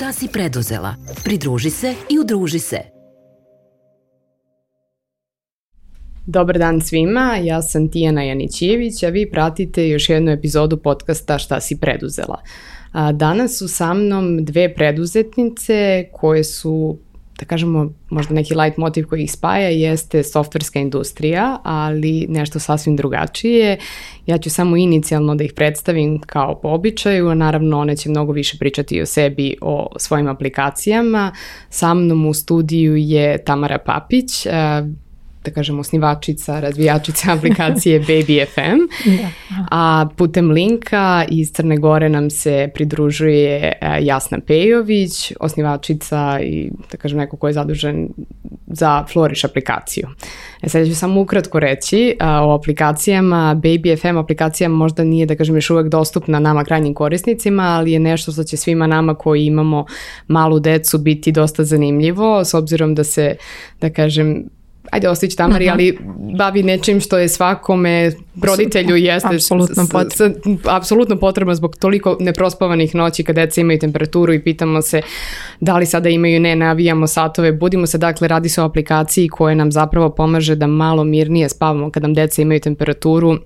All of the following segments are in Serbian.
Šta si preduzela? Pridruži se i udruži se. Dobar dan svima, ja sam Tijana Janićijević, a vi pratite još jednu epizodu podcasta Šta si preduzela. Danas su sa mnom dve preduzetnice koje su, da kažemo, možda neki light motiv koji ih spaja jeste softverska industrija, ali nešto sasvim drugačije. Ja ću samo inicijalno da ih predstavim kao po običaju, a naravno one će mnogo više pričati o sebi, o svojim aplikacijama. Sa mnom u studiju je Tamara Papić, da kažem osnivačica, razvijačica aplikacije Baby FM, a putem linka iz Crne Gore nam se pridružuje Jasna Pejović, osnivačica i da kažem neko ko je zadužen za Flourish aplikaciju. Sad ću samo ukratko reći o aplikacijama. Baby FM aplikacija možda nije, da kažem, još uvek dostupna nama krajnjim korisnicima, ali je nešto što će svima nama koji imamo malu decu biti dosta zanimljivo, s obzirom da se, da kažem, ajde ostići Tamari, ali bavi nečim što je svakome roditelju jeste apsolutno potrebno zbog toliko neprospavanih noći kad deca imaju temperaturu i pitamo se da li sada imaju, ne, navijamo satove, budimo se, dakle radi se o aplikaciji koja nam zapravo pomaže da malo mirnije spavamo kad nam deca imaju temperaturu,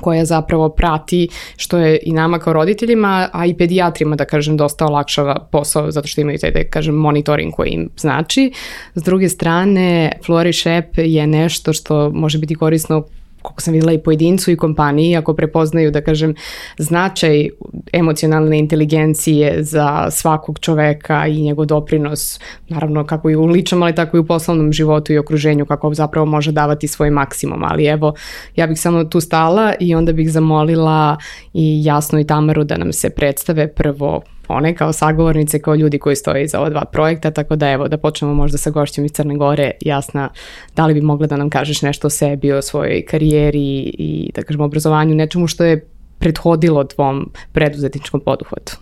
koja zapravo prati, što je i nama kao roditeljima, a i pedijatrima, da kažem, dosta olakšava posao zato što imaju taj, da kažem, monitoring koji im znači. S druge strane, Flourish app je nešto što može biti korisno, koliko sam vidjela, i pojedincu i kompaniji, ako prepoznaju, da kažem, značaj emocionalne inteligencije za svakog čoveka i njegov doprinos, naravno kako i u ličnom, ali tako i u poslovnom životu i okruženju, kako zapravo može davati svoj maksimum. Ali evo, ja bih samo tu stala i onda bih zamolila i Jasnu i Tamaru da nam se predstave prvo one kao sagovornice, kao ljudi koji stoje iza ova dva projekta, tako da evo, da počnemo možda sa gošćom iz Crne Gore. Jasna, da li bi mogla da nam kažeš nešto o sebi, o svojoj karijeri i, da kažemo, obrazovanju, nečemu što je prethodilo tvom preduzetničkom poduhvatu?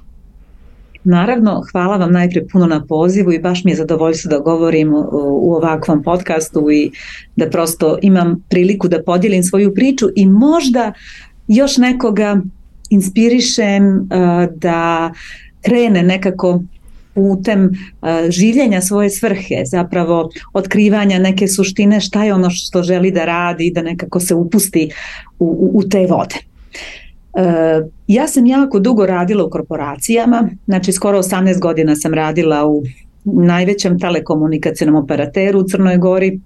Naravno, hvala vam najprije puno na pozivu i baš mi je zadovoljstvo da govorim u ovakvom podcastu i da prosto imam priliku da podijelim svoju priču i možda još nekoga inspirišem da krene nekako putem življenja svoje svrhe, zapravo otkrivanja neke suštine, šta je ono što želi da radi, da nekako se upusti u te vode. Ja sam jako dugo radila u korporacijama, znači skoro 18 godina sam radila u najvećem telekomunikacionom operateru u Crnoj Gori.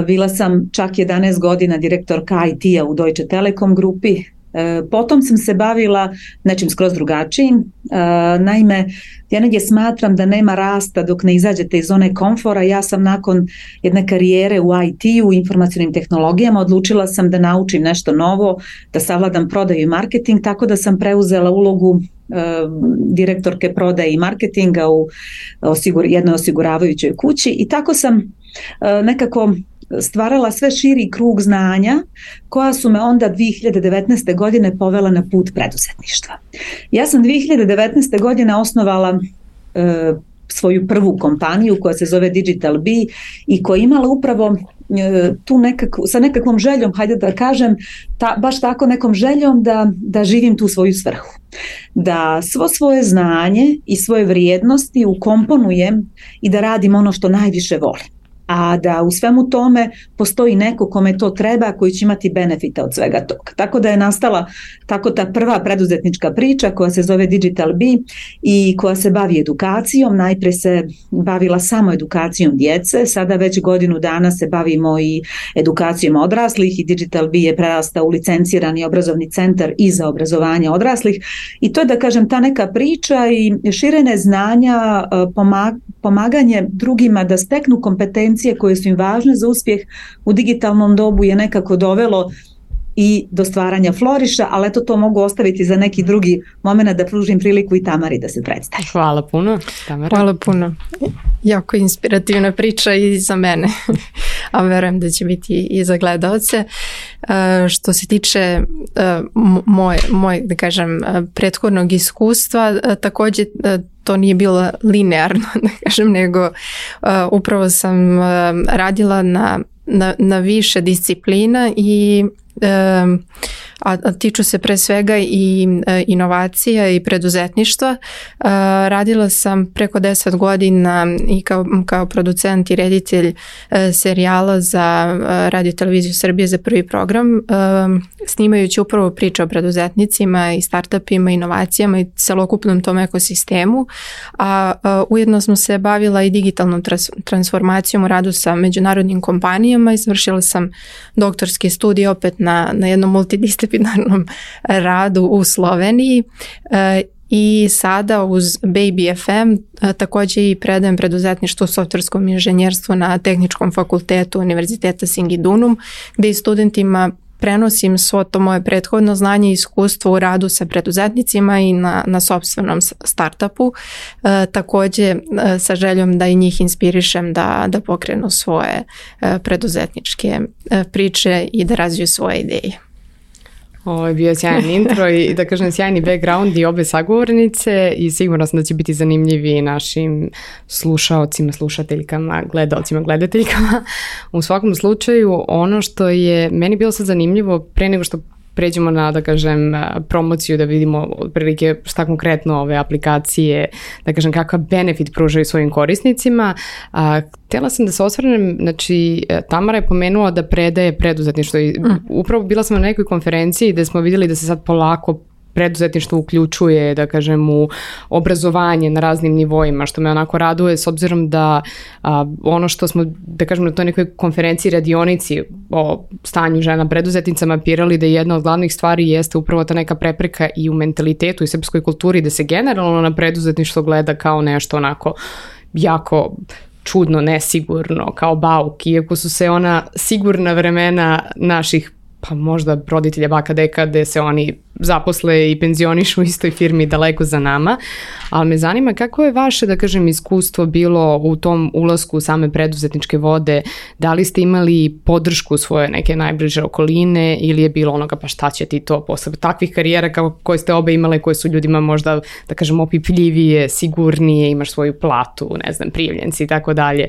Bila sam čak 11 godina direktorka IT-a u Deutsche Telekom grupi. Potom sam se bavila nečim skroz drugačijim. Naime, ja negdje smatram da nema rasta dok ne izađete iz zone komfora. Ja sam nakon jedne karijere u IT-u, informacionim tehnologijama, odlučila sam da naučim nešto novo, da savladam prodaju i marketing, tako da sam preuzela ulogu direktorke prodaje i marketinga u jednoj osiguravajućoj kući i tako sam nekako stvarala sve širi krug znanja koja su me onda 2019. godine povela na put preduzetništva. Ja sam 2019. godine osnovala svoju prvu kompaniju koja se zove Digital Bee i koja je imala upravo tu sa nekakvom željom, hajde da kažem, baš tako nekom željom da živim tu svoju svrhu. Da svo svoje znanje i svoje vrijednosti ukomponujem i da radim ono što najviše volim. A da u svemu tome postoji neko kome to treba, koji će imati benefita od svega toga. Tako da je nastala tako ta prva preduzetnička priča koja se zove Digital Bee i koja se bavi edukacijom. Najprije se bavila samo edukacijom djece, sada već godinu dana se bavimo i edukacijom odraslih i Digital Bee je prerastao u licencirani obrazovni centar i za obrazovanje odraslih. I to je, da kažem, ta neka priča i širenje znanja, pomaganje drugima da steknu kompetencije koje su im važne za uspjeh u digitalnom dobu je nekako dovelo i do stvaranja Flourisha, ali eto to mogu ostaviti za neki drugi moment da pružim priliku i Tamari da se predstavi. Hvala puno, Tamara. Hvala puno. Jako inspirativna priča i za mene, a verujem da će biti i za gledaoce. Što se tiče moj, da kažem, prethodnog iskustva, također to nije bilo linearno, da kažem, nego upravo sam radila na više disciplina i a tiču se pre svega i inovacija i preduzetništva. Radila sam preko 10 godina i kao producent i reditelj serijala za Radio Televiziju Srbije za Prvi program, snimajući upravo priče o preduzetnicima i startupima, inovacijama i celokupnom tom ekosistemu, a ujedno sam se bavila i digitalnom transformacijom u radu sa međunarodnim kompanijama i završila sam doktorski studij opet na jednom multidisciplinarnom radu u Sloveniji i sada uz Baby FM također i predajem preduzetništvo u softverskom inženjerstvu na Tehničkom fakultetu Univerziteta Singidunum, gdje i studentima prenosim svo to moje prethodno znanje i iskustvo u radu sa preduzetnicima i na sopstvenom startupu, također sa željom da i njih inspirišem da pokrenu svoje preduzetničke priče i da razviju svoje ideje. Ovo je bio sjajan intro i da kažem sjajni background i obe sagovornice i sigurno sam da će biti zanimljivi našim slušaocima, slušateljkama, gledalcima, gledateljkama. U svakom slučaju ono što je meni bilo sad zanimljivo pre nego što pređemo na, da kažem, promociju, da vidimo otprilike šta konkretno ove aplikacije, da kažem, kakav benefit pružaju svojim korisnicima. Htjela sam da se osvrnem, znači, Tamara je pomenula da predaje preduzetništvo i upravo bila sam na nekoj konferenciji gde smo vidjeli da se sad polako preduzetništvo uključuje, da kažem, u obrazovanje na raznim nivoima, što me onako raduje s obzirom da ono što smo, da kažem, na toj nekoj konferenciji, radionici o stanju žena preduzetnicama pirali da jedna od glavnih stvari jeste upravo ta neka prepreka i u mentalitetu i srpskoj kulturi da se generalno na preduzetništvo gleda kao nešto onako jako čudno, nesigurno, kao bauk, iako su se ona sigurna vremena naših pa možda roditelja baka deka gde se oni zaposle i penzionišu u istoj firmi daleko za nama, ali me zanima kako je vaše, da kažem, iskustvo bilo u tom ulasku u same preduzetničke vode, da li ste imali podršku svoje neke najbliže okoline ili je bilo onoga pa šta će ti to posle takvih karijera koje ste obe imale, koje su ljudima možda, da kažem, opipljivije, sigurnije, imaš svoju platu, ne znam, prijavljenci i tako dalje.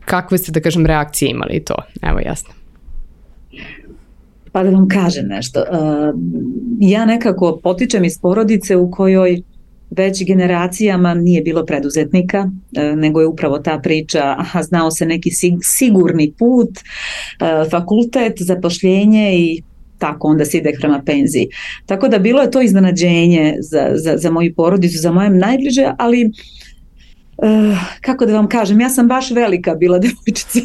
Kakve ste, da kažem, reakcije imali to? Evo, jasno. Pa da vam kažem nešto. Ja nekako potičem iz porodice u kojoj već generacijama nije bilo preduzetnika, nego je upravo ta priča, znao se neki sigurni put, fakultet, zapošljenje i tako onda se ide prema penziji. Tako da bilo je to iznenađenje za moju porodicu, za moje najbliže, ali kako da vam kažem, ja sam baš velika bila devojčica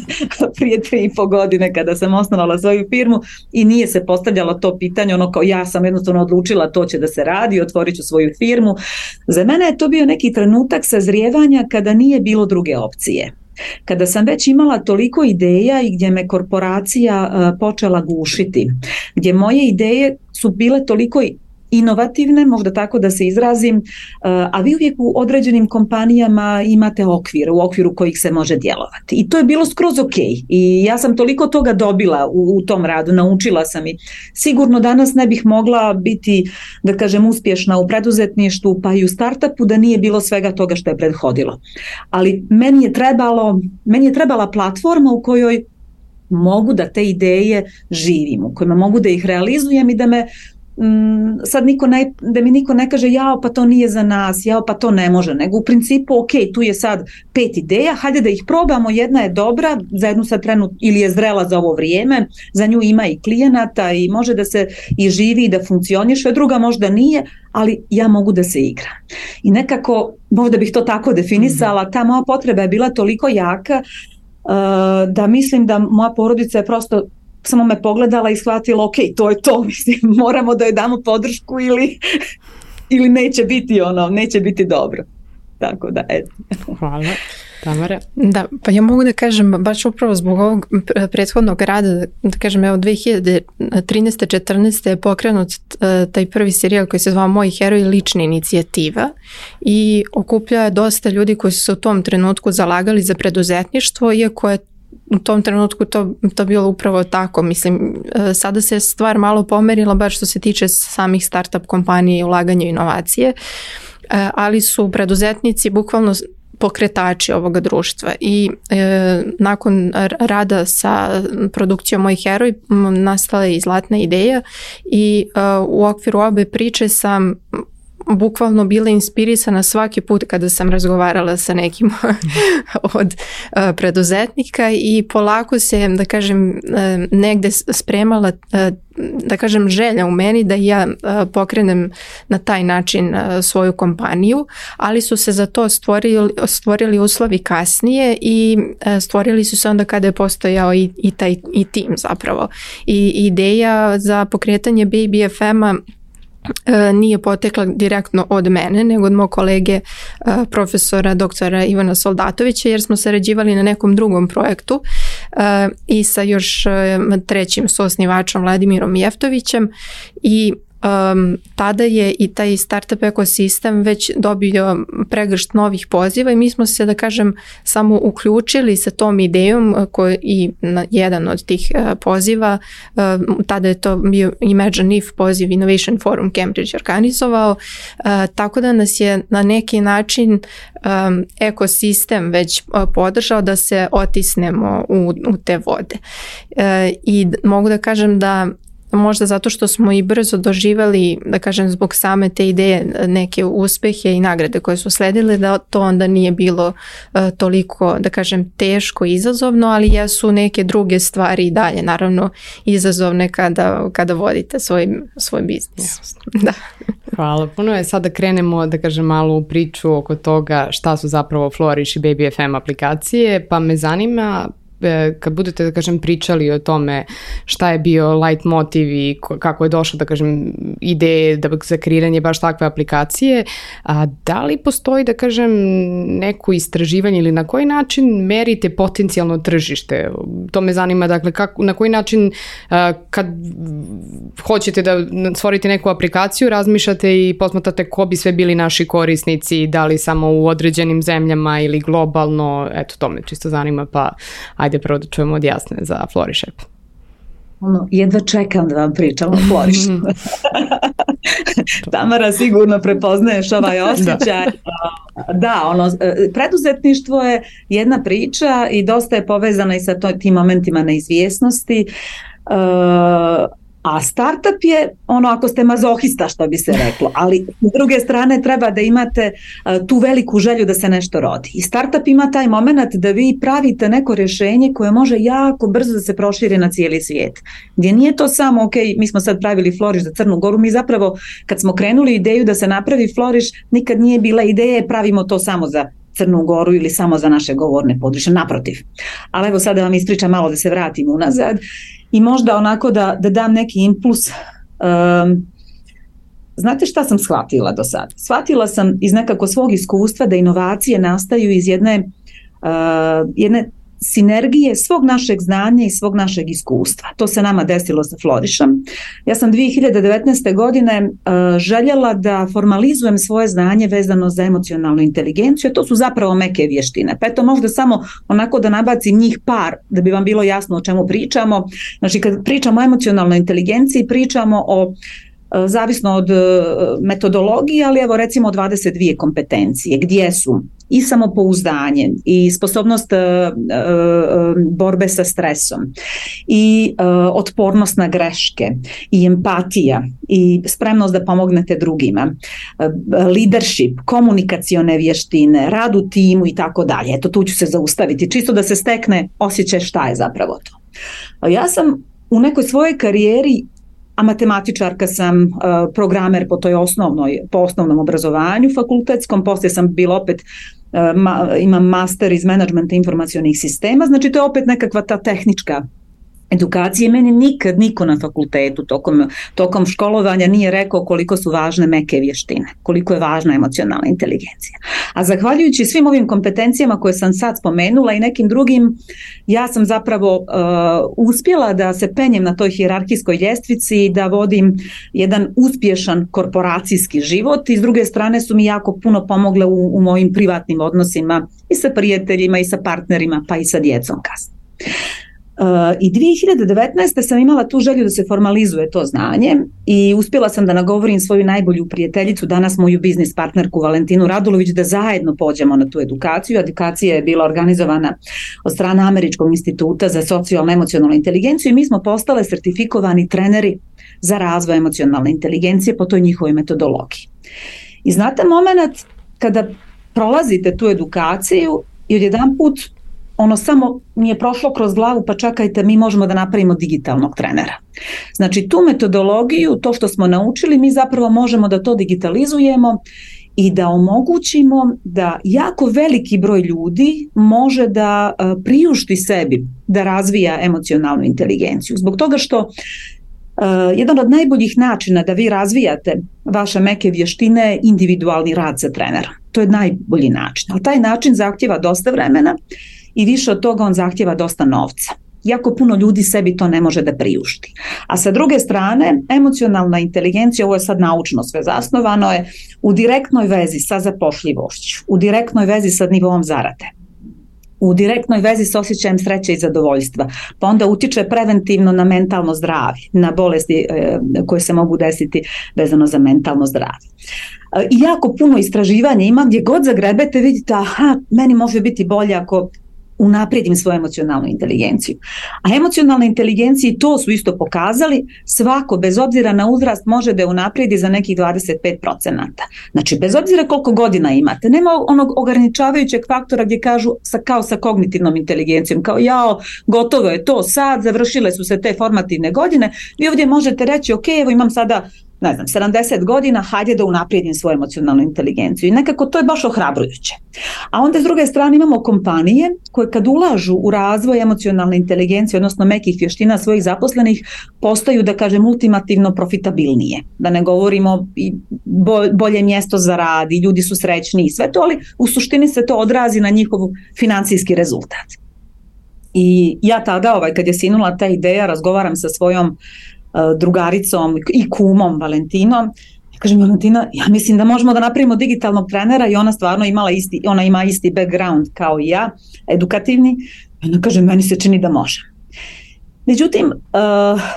prije 3,5 godine kada sam osnovala svoju firmu i nije se postavljalo to pitanje, ono kao ja sam jednostavno odlučila to će da se radi, otvorit ću svoju firmu. Za mene je to bio neki trenutak sazrijevanja kada nije bilo druge opcije. Kada sam već imala toliko ideja i gdje me korporacija počela gušiti, gdje moje ideje su bile toliko inovativne, možda tako da se izrazim, a vi uvijek u određenim kompanijama imate okvir, u okviru kojih se može djelovati. I to je bilo skroz ok. I ja sam toliko toga dobila u tom radu, naučila sam i sigurno danas ne bih mogla biti, da kažem, uspješna u preduzetništvu pa i u startupu da nije bilo svega toga što je prethodilo. Ali meni je trebala platforma u kojoj mogu da te ideje živim, u kojima mogu da ih realizujem i da me sad da mi niko ne kaže jao pa to nije za nas, jao pa to ne može, nego u principu ok, tu je sad 5 ideja, hajde da ih probamo, jedna je dobra, za jednu sad trenutno ili je zrela za ovo vrijeme, za nju ima i klijenata i može da se i živi i da funkcioniše, druga možda nije, ali ja mogu da se igram. I nekako, možda bih to tako definisala, ta moja potreba je bila toliko jaka da mislim da moja porodica je prosto samo me pogledala i shvatila, ok, to je to, mislim, moramo da joj damo podršku ili neće biti dobro. Tako da, eto. Hvala. Tamara? Da, pa ja mogu da kažem, baš upravo zbog ovog prethodnog rada, da kažem, evo 2013-14 je pokrenut taj prvi serijal koji se zvao Moji heroji, lična inicijativa i okuplja je dosta ljudi koji su se u tom trenutku zalagali za preduzetništvo, iako je u tom trenutku to bilo upravo tako. Mislim, sada se stvar malo pomerila, bar što se tiče samih startup kompanije i ulaganja u inovacije, ali su preduzetnici bukvalno pokretači ovoga društva i nakon rada sa produkcijom Moj heroj nastala je i Zlatna ideja i u okviru obe priče sam bukvalno bila inspirisana svaki put kada sam razgovarala sa nekim od preduzetnika i polako se, da kažem, negde spremala, da kažem, želja u meni da ja pokrenem na taj način svoju kompaniju, ali su se za to stvorili uslovi kasnije i stvorili su se onda kada je postojao i tim zapravo. I ideja za pokretanje Baby FM-a nije potekla direktno od mene, nego od mog kolege profesora doktora Ivana Soldatovića, jer smo sarađivali na nekom drugom projektu i sa još trećim suosnivačem Vladimirom Jeftovićem i tada je i taj startup ekosistem već dobio pregršt novih poziva i mi smo se, da kažem, samo uključili sa tom idejom i na jedan od tih poziva, tada je to bio Imagine If poziv Innovation Forum Cambridge organizovao, tako da nas je na neki način ekosistem već podržao da se otisnemo u te vode. I mogu da kažem da možda zato što smo i brzo doživjeli, da kažem, zbog same te ideje neke uspehe i nagrade koje su sledile, da to onda nije bilo toliko, da kažem, teško i izazovno, ali jesu neke druge stvari i dalje, naravno, izazovne kada vodite svoj biznis. Da. Hvala puno. Sada krenemo, da kažem, malo u priču oko toga šta su zapravo Flourish i Baby FM aplikacije, pa me zanima kad budete, da kažem, pričali o tome šta je bio light motiv i kako je došlo, da kažem, ideje za kreiranje baš takve aplikacije, da li postoji, da kažem, neko istraživanje ili na koji način merite potencijalno tržište? To me zanima, dakle, na koji način kad hoćete da stvorite neku aplikaciju, razmišljate i posmatrate ko bi sve bili naši korisnici, da li samo u određenim zemljama ili globalno, eto, to me čisto zanima, pa ajde prvo da čujemo od Jasne za Flourish App. Jedva čekam da vam pričam o Flourish. Tamara, sigurno prepoznaješ ovaj osjećaj. Da, preduzetništvo je jedna priča i dosta je povezana i sa tim momentima neizvjesnosti. A startup je ako ste mazohista, što bi se reklo, ali s druge strane treba da imate tu veliku želju da se nešto rodi. I startup ima taj moment da vi pravite neko rješenje koje može jako brzo da se proširi na cijeli svijet. Gdje nije to samo, ok, mi smo sad pravili Flourish za Crnu Goru, mi zapravo kad smo krenuli ideju da se napravi Flourish, nikad nije bila ideja pravimo to samo za Crnu Goru ili samo za naše govorne područje, naprotiv. Ali evo sad da vam ispričam malo, da se vratim unazad i možda onako da dam neki impuls. Znate šta sam shvatila do sad? Shvatila sam iz nekako svog iskustva da inovacije nastaju iz jedne sinergije svog našeg znanja i svog našeg iskustva. To se nama desilo sa Flourishom. Ja sam 2019. godine željela da formalizujem svoje znanje vezano za emocionalnu inteligenciju, a to su zapravo meke vještine. Pa eto, možda samo onako da nabacim njih par, da bi vam bilo jasno o čemu pričamo. Znači, kad pričamo o emocionalnoj inteligenciji, pričamo o zavisno od metodologije, ali evo recimo 22 kompetencije, gdje su i samopouzdanje, i sposobnost borbe sa stresom, i otpornost na greške, i empatija, i spremnost da pomognete drugima, leadership, komunikacione vještine, rad u timu i tako dalje. Eto, tu ću se zaustaviti, čisto da se stekne osjećaj šta je zapravo to. Ja sam u nekoj svojoj karijeri, a matematičarka sam, programer po osnovnom obrazovanju fakultetskom, poslije sam bila opet, imam master iz menadžmenta informacionih sistema, znači to je opet nekakva ta tehnička edukacija. Meni nikad niko na fakultetu tokom školovanja nije rekao koliko su važne meke vještine, koliko je važna emocionalna inteligencija. A zahvaljujući svim ovim kompetencijama koje sam sad spomenula i nekim drugim, ja sam zapravo uspjela da se penjem na toj hijerarhijskoj ljestvici i da vodim jedan uspješan korporacijski život, i s druge strane su mi jako puno pomogle u mojim privatnim odnosima i sa prijateljima i sa partnerima pa i sa djecom kasnije. I 2019. sam imala tu želju da se formalizuje to znanje i uspjela sam da nagovorim svoju najbolju prijateljicu, danas moju biznis partnerku Valentinu Radulović, da zajedno pođemo na tu edukaciju. Edukacija je bila organizovana od strane Američkog instituta za socijalno-emocionalnu inteligenciju i mi smo postale sertifikovani treneri za razvoj emocionalne inteligencije po toj njihovoj metodologiji. I znate moment kada prolazite tu edukaciju i odjedanput ono samo mi je prošlo kroz glavu, pa čekajte, mi možemo da napravimo digitalnog trenera. Znači tu metodologiju, to što smo naučili, mi zapravo možemo da to digitalizujemo i da omogućimo da jako veliki broj ljudi može da priušti sebi da razvija emocionalnu inteligenciju. Zbog toga što jedan od najboljih načina da vi razvijate vaše meke vještine je individualni rad sa trenerom. To je najbolji način, ali taj način zahtjeva dosta vremena i više od toga on zahtjeva dosta novca. Jako puno ljudi sebi to ne može da priušti. A sa druge strane, emocionalna inteligencija, ovo je sad naučno sve zasnovano, je u direktnoj vezi sa zapošljivošću, u direktnoj vezi sa nivoom zarade, u direktnoj vezi s osjećajem sreće i zadovoljstva, pa onda utiče preventivno na mentalno zdravlje, na bolesti koje se mogu desiti vezano za mentalno zdravlje. I jako puno istraživanja ima, gdje god zagrebete vidite, aha, meni može biti bolje ako unaprijedim svoju emocionalnu inteligenciju. A emocionalne inteligencije, to su isto pokazali, svako bez obzira na uzrast može da je unaprijedi za nekih 25%. Znači bez obzira koliko godina imate, nema onog ograničavajućeg faktora gdje kažu kao sa kognitivnom inteligencijom, kao jao, gotovo je to sad, završile su se te formativne godine, vi ovdje možete reći ok, evo imam sada 70 godina, hajde da unaprijedim svoju emocionalnu inteligenciju. I nekako to je baš ohrabrujuće. A onda s druge strane imamo kompanije koje kad ulažu u razvoj emocionalne inteligencije, odnosno mekih vještina svojih zaposlenih, postaju, da kažem, ultimativno profitabilnije. Da ne govorimo i bolje mjesto za rad i ljudi su srećniji i sve to, ali u suštini se to odrazi na njihov financijski rezultat. I ja tada, kad je sinula ta ideja, razgovaram sa svojom drugaricom i kumom Valentinom. Ja kažem, Valentina, ja mislim da možemo da napravimo digitalnog trenera i ona stvarno ima isti background kao i ja, edukativni. Ona kaže, meni se čini da može. Međutim,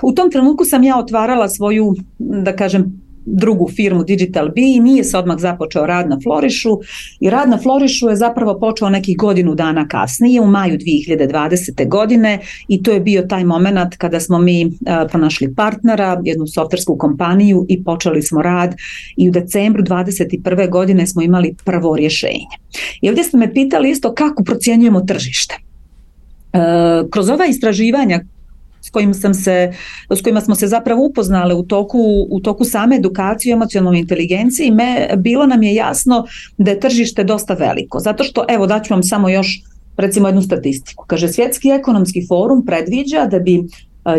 u tom trenutku sam ja otvarala svoju, da kažem, drugu firmu Digital Bee i nije se odmah započeo rad na Florišu i rad na Florišu je zapravo počeo nekih godinu dana kasnije, u maju 2020. godine i to je bio taj moment kada smo mi pronašli partnera, jednu softversku kompaniju i počeli smo rad i u decembru 2021. godine smo imali prvo rješenje. I ovdje ste me pitali isto kako procjenjujemo tržište. Kroz ova istraživanja s kojima smo se zapravo upoznali u toku same edukacije o emocionalnoj inteligenciji, bilo nam je jasno da je tržište dosta veliko. Zato što, evo daću vam samo još recimo jednu statistiku. Kaže, Svjetski ekonomski forum predviđa da bi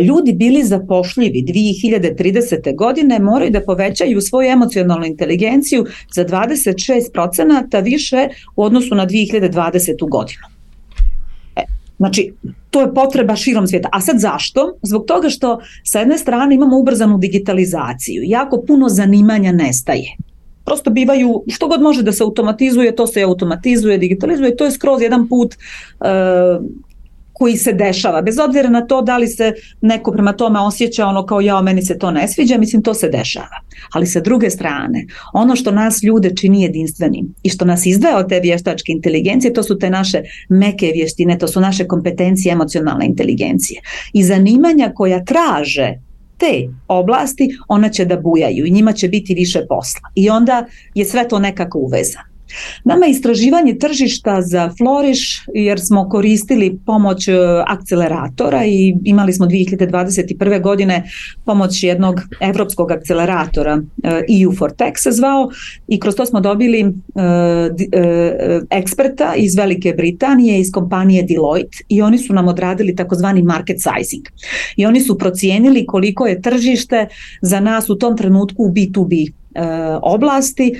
ljudi bili zapošljivi 2030. godine moraju da povećaju svoju emocionalnu inteligenciju za 26% više u odnosu na 2020. godinu. Znači, to je potreba širom svijeta. A sad zašto? Zbog toga što sa jedne strane imamo ubrzanu digitalizaciju. Jako puno zanimanja nestaje. Prosto bivaju, što god može da se automatizuje, to se automatizuje, digitalizuje. To je skroz jedan put koji se dešava. Bez obzira na to da li se neko prema tome osjeća kao jao, meni se to ne sviđa, mislim to se dešava. Ali sa druge strane, ono što nas ljude čini jedinstvenim i što nas izdvaja od te vještačke inteligencije, to su te naše meke vještine, to su naše kompetencije emocionalne inteligencije. I zanimanja koja traže te oblasti, ona će da bujaju i njima će biti više posla. I onda je sve to nekako uvezano. Nama je istraživanje tržišta za Floriš, jer smo koristili pomoć akceleratora i imali smo 2021. godine pomoć jednog evropskog akceleratora, EU for Tech se zvao, i kroz to smo dobili eksperta iz Velike Britanije, iz kompanije Deloitte, i oni su nam odradili takozvani market sizing. I oni su procijenili koliko je tržište za nas u tom trenutku u B2B oblasti.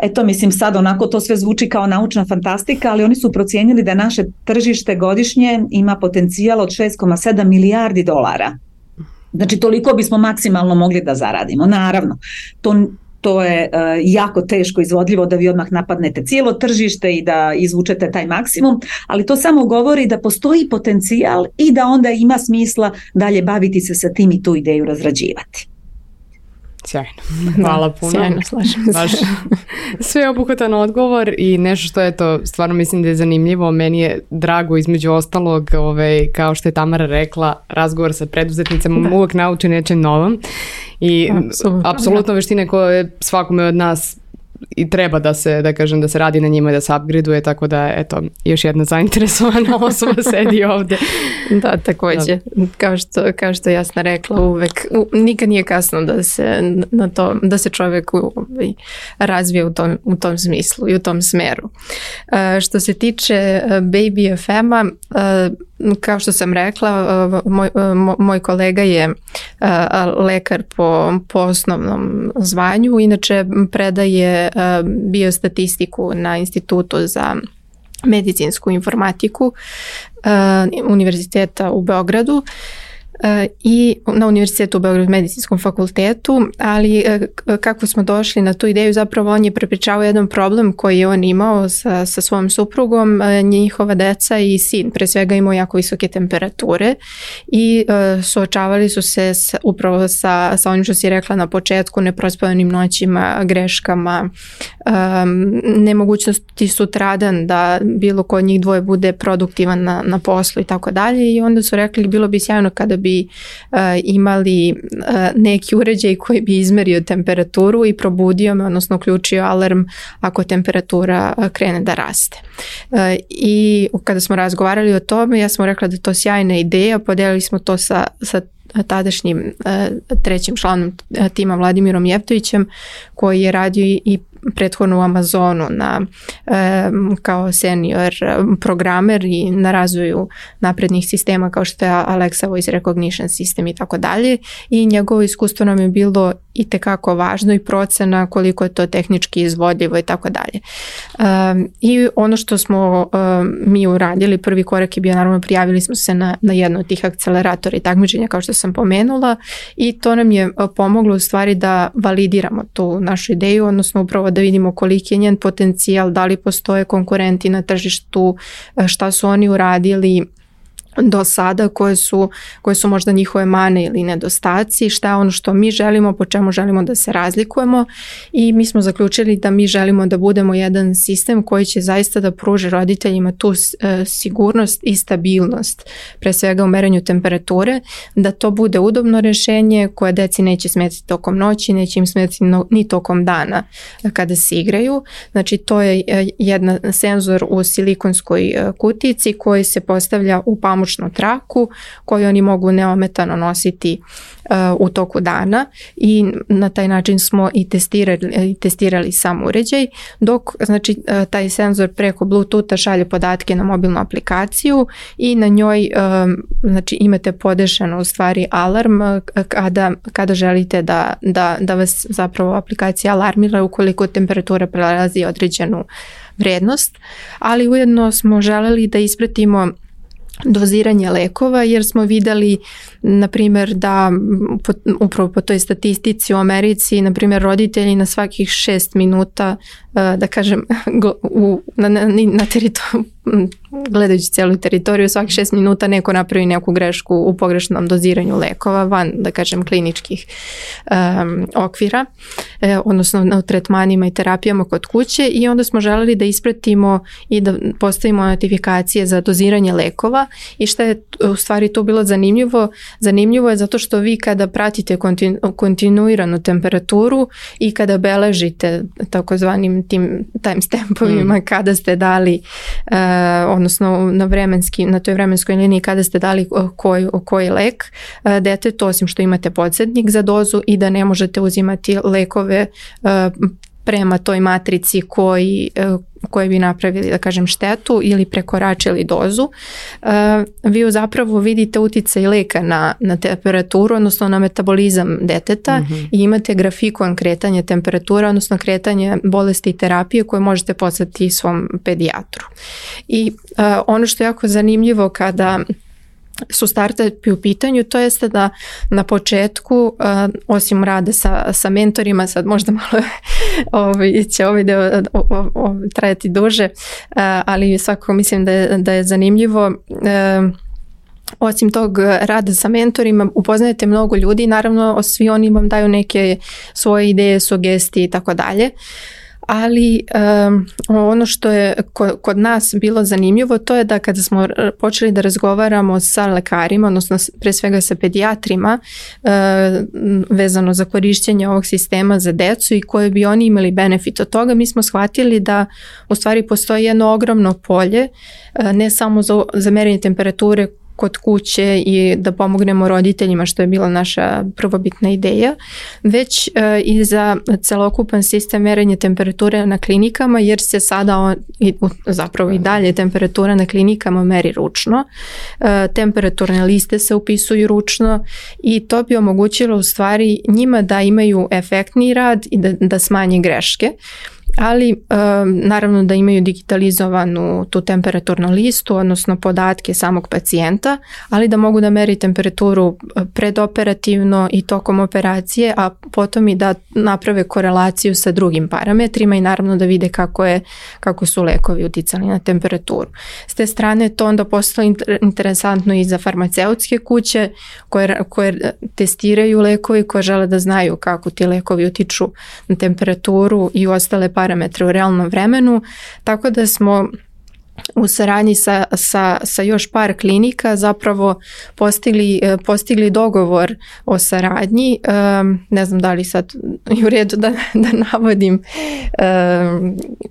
Eto, mislim, sad onako to sve zvuči kao naučna fantastika, ali oni su procijenili da naše tržište godišnje ima potencijal od 6,7 milijardi dolara. Znači, toliko bismo maksimalno mogli da zaradimo. Naravno, to to je jako teško izvodljivo da vi odmah napadnete cijelo tržište i da izvučete taj maksimum, ali to samo govori da postoji potencijal i da onda ima smisla dalje baviti se sa tim i tu ideju razrađivati. Sjajno, hvala puno. Sjajno, slažem se. Baš sveobuhvatan odgovor i nešto što je to, stvarno mislim da je zanimljivo, meni je drago između ostalog, kao što je Tamara rekla, razgovor sa preduzetnicama uvijek nauči nečem novom i apsolutno veštine koje svakome od nas i treba da se radi na njima i da se upgradeuje, tako da eto, još jedna zainteresovana osoba sedi ovdje. Da, također. Kao što Jasna rekla, uvek nikad nije kasno da se čovjek razvije u tom smislu i u tom smeru. Što se tiče Baby FM-a, kao što sam rekla, moj kolega je lekar po osnovnom zvanju, inače predaje biostatistiku na Institutu za medicinsku informatiku Univerziteta u Beogradu i na Univerzitetu u Beogradu medicinskom fakultetu, ali kako smo došli na tu ideju, zapravo on je prepričavao jedan problem koji je on imao sa svojom suprugom, njihova deca i sin pre svega imao jako visoke temperature i suočavali su se upravo sa onim što si rekla na početku, neprospavanim noćima, greškama, nemogućnosti sutradan da bilo ko od njih dvoje bude produktivan na poslu i tako dalje, i onda su rekli bilo bi sjajno kada bi imali neki uređaj koji bi izmerio temperaturu i probudio me, odnosno uključio alarm ako temperatura krene da raste. I kada smo razgovarali o tome, ja sam rekla da je to sjajna ideja, podijelili smo to sa tadašnjim trećim članom tima Vladimirom Jevtovićem, koji je radio i prethodno u Amazonu kao senior programer i na razvoju naprednih sistema kao što je Alexa Voice Recognition System i tako dalje, i njegovo iskustvo nam je bilo itekako važno i procena koliko je to tehnički izvodljivo i tako dalje. I ono što smo mi uradili, prvi korak je bio, naravno prijavili smo se na jedno od tih akceleratora i takmičenja kao što sam pomenula, i to nam je pomoglo u stvari da validiramo tu našu ideju, odnosno upravo da vidimo koliki je njen potencijal, da li postoje konkurenti na tržištu, šta su oni uradili do sada, koje su možda njihove mane ili nedostaci, šta je ono što mi želimo, po čemu želimo da se razlikujemo, i mi smo zaključili da mi želimo da budemo jedan sistem koji će zaista da pruži roditeljima tu sigurnost i stabilnost, pre svega u merenju temperature, da to bude udobno rješenje koje deci neće smetiti tokom noći, neće im smetiti ni tokom dana kada se igraju. Znači to je jedan senzor u silikonskoj kutici koji se postavlja u pamučnu traku koju oni mogu neometano nositi u toku dana, i na taj način smo i testirali sam uređaj, dok znači taj senzor preko Bluetootha šalje podatke na mobilnu aplikaciju i na njoj znači imate podešano u stvari alarm kada želite da vas zapravo aplikacija alarmira ukoliko temperatura prelazi određenu vrednost, ali ujedno smo želeli da ispratimo doziranje lekova, jer smo vidjeli na primjer da upravo po toj statistici u Americi, na primjer roditelji na svakih 6 minuta, da kažem na teritoriju, gledajući cijelu teritoriju, svakih 6 minuta neko napravi neku grešku u pogrešnom doziranju lekova van, da kažem, kliničkih okvira, odnosno na tretmanima i terapijama kod kuće, i onda smo želeli da ispratimo i da postavimo notifikacije za doziranje lekova. I što je u stvari to bilo zanimljivo? Zanimljivo je zato što vi kada pratite kontinuiranu temperaturu i kada beležite takozvanim tim timestampovima kada ste dali, odnosno na toj vremenskoj liniji kada ste dali koji lek detetu, osim što imate podsjetnik za dozu i da ne možete uzimati lekove prema toj matrici koji bi napravili, da kažem, štetu ili prekoračili dozu, vi zapravo vidite uticaj leka na temperaturu, odnosno na metabolizam deteta, i imate grafikon kretanja temperatura, odnosno kretanje bolesti i terapije koje možete poslati svom pedijatru. I ono što je jako zanimljivo kada su startupi u pitanju, to jeste da na početku, osim rada sa mentorima, sad možda malo će ovaj deo trajati duže, ali svakako mislim da je zanimljivo. Osim tog rada sa mentorima upoznajete mnogo ljudi, naravno svi oni vam daju neke svoje ideje, sugestije i tako dalje. Ali ono što je kod nas bilo zanimljivo, to je da kada smo počeli da razgovaramo sa lekarima, odnosno pre svega sa pedijatrima, vezano za korišćenje ovog sistema za decu i koje bi oni imali benefit od toga, mi smo shvatili da u stvari postoji jedno ogromno polje, ne samo za merenje temperature kod kuće i da pomognemo roditeljima, što je bila naša prvobitna ideja, već i za celokupan sistem merenja temperature na klinikama, jer se sada zapravo i dalje temperatura na klinikama meri ručno, temperaturne liste se upisuju ručno i to bi omogućilo u stvari njima da imaju efektniji rad i da smanje greške. Ali naravno da imaju digitalizovanu tu temperaturnu listu, odnosno podatke samog pacijenta, ali da mogu da meri temperaturu predoperativno i tokom operacije, a potom i da naprave korelaciju sa drugim parametrima i naravno da vide kako su lekovi uticali na temperaturu. S te strane to onda postalo interesantno i za farmaceutske kuće koje testiraju lekovi, koje žele da znaju kako ti lekovi utiču na temperaturu i ostale parametre u realnom vremenu, tako da smo u saradnji sa još par klinika zapravo postigli dogovor o saradnji. Ne znam da li sad je u redu da navodim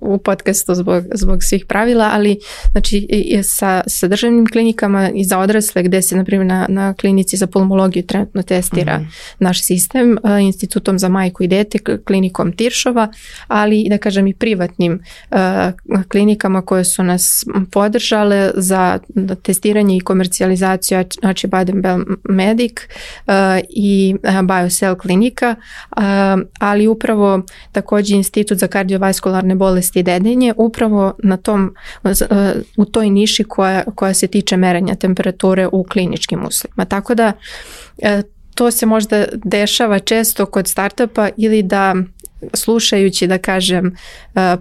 u podcastu zbog svih pravila, ali znači sa državnim klinikama i za odrasle gde se na primjer na klinici za pulmologiju trenutno testira naš sistem, Institutom za majku i dete, klinikom Tiršova, ali da kažem i privatnim klinikama koje su nas podržale za testiranje i komercijalizaciju Acibadem Medic i BioCell klinika, ali upravo također Institut za kardiovaskularne bolesti i dedenje upravo u toj niši koja se tiče merenja temperature u kliničkim uslovima. Tako da to se možda dešava često kod startupa ili da slušajući da kažem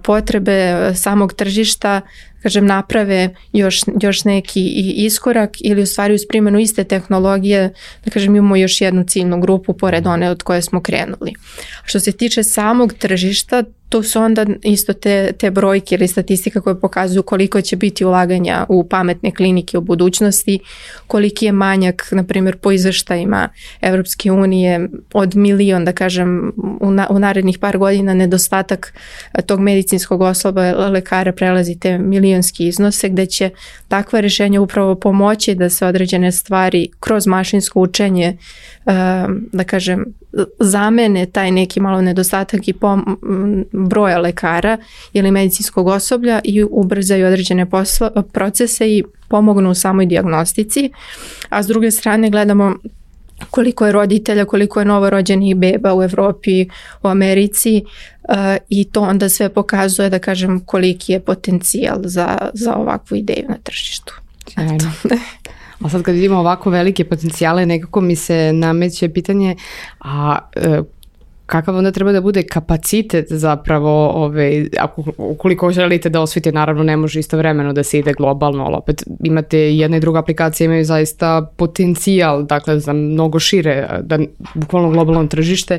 potrebe samog tržišta naprave još neki iskorak ili u stvari uz primjenu iste tehnologije da kažem imamo još jednu ciljnu grupu pored one od koje smo krenuli. Što se tiče samog tržišta, to su onda isto te brojke ili statistika koje pokazuju koliko će biti ulaganja u pametne klinike u budućnosti, koliki je manjak, na primjer po izveštajima Evropske unije od 1 milion, da kažem, u narednih par godina nedostatak tog medicinskog osoblja lekara prelazi te milionski iznose, gde će takva rješenja upravo pomoći da se određene stvari kroz mašinsko učenje, da kažem, zamene taj neki malo nedostatak i broja lekara ili medicinskog osoblja i ubrzaju određene procese i pomognu u samoj dijagnostici. A s druge strane gledamo koliko je roditelja, koliko je novorođenih beba u Evropi, u Americi i to onda sve pokazuje da kažem koliki je potencijal za ovakvu ideju na tržištu. A sad kad vidimo ovako velike potencijale, nekako mi se nameće pitanje, kakav onda treba da bude kapacitet zapravo, ukoliko želite da osvijete, naravno ne može istovremeno da se ide globalno, ali opet imate jedna i druga aplikacija, imaju zaista potencijal, dakle za mnogo šire, da bukvalno globalno tržište,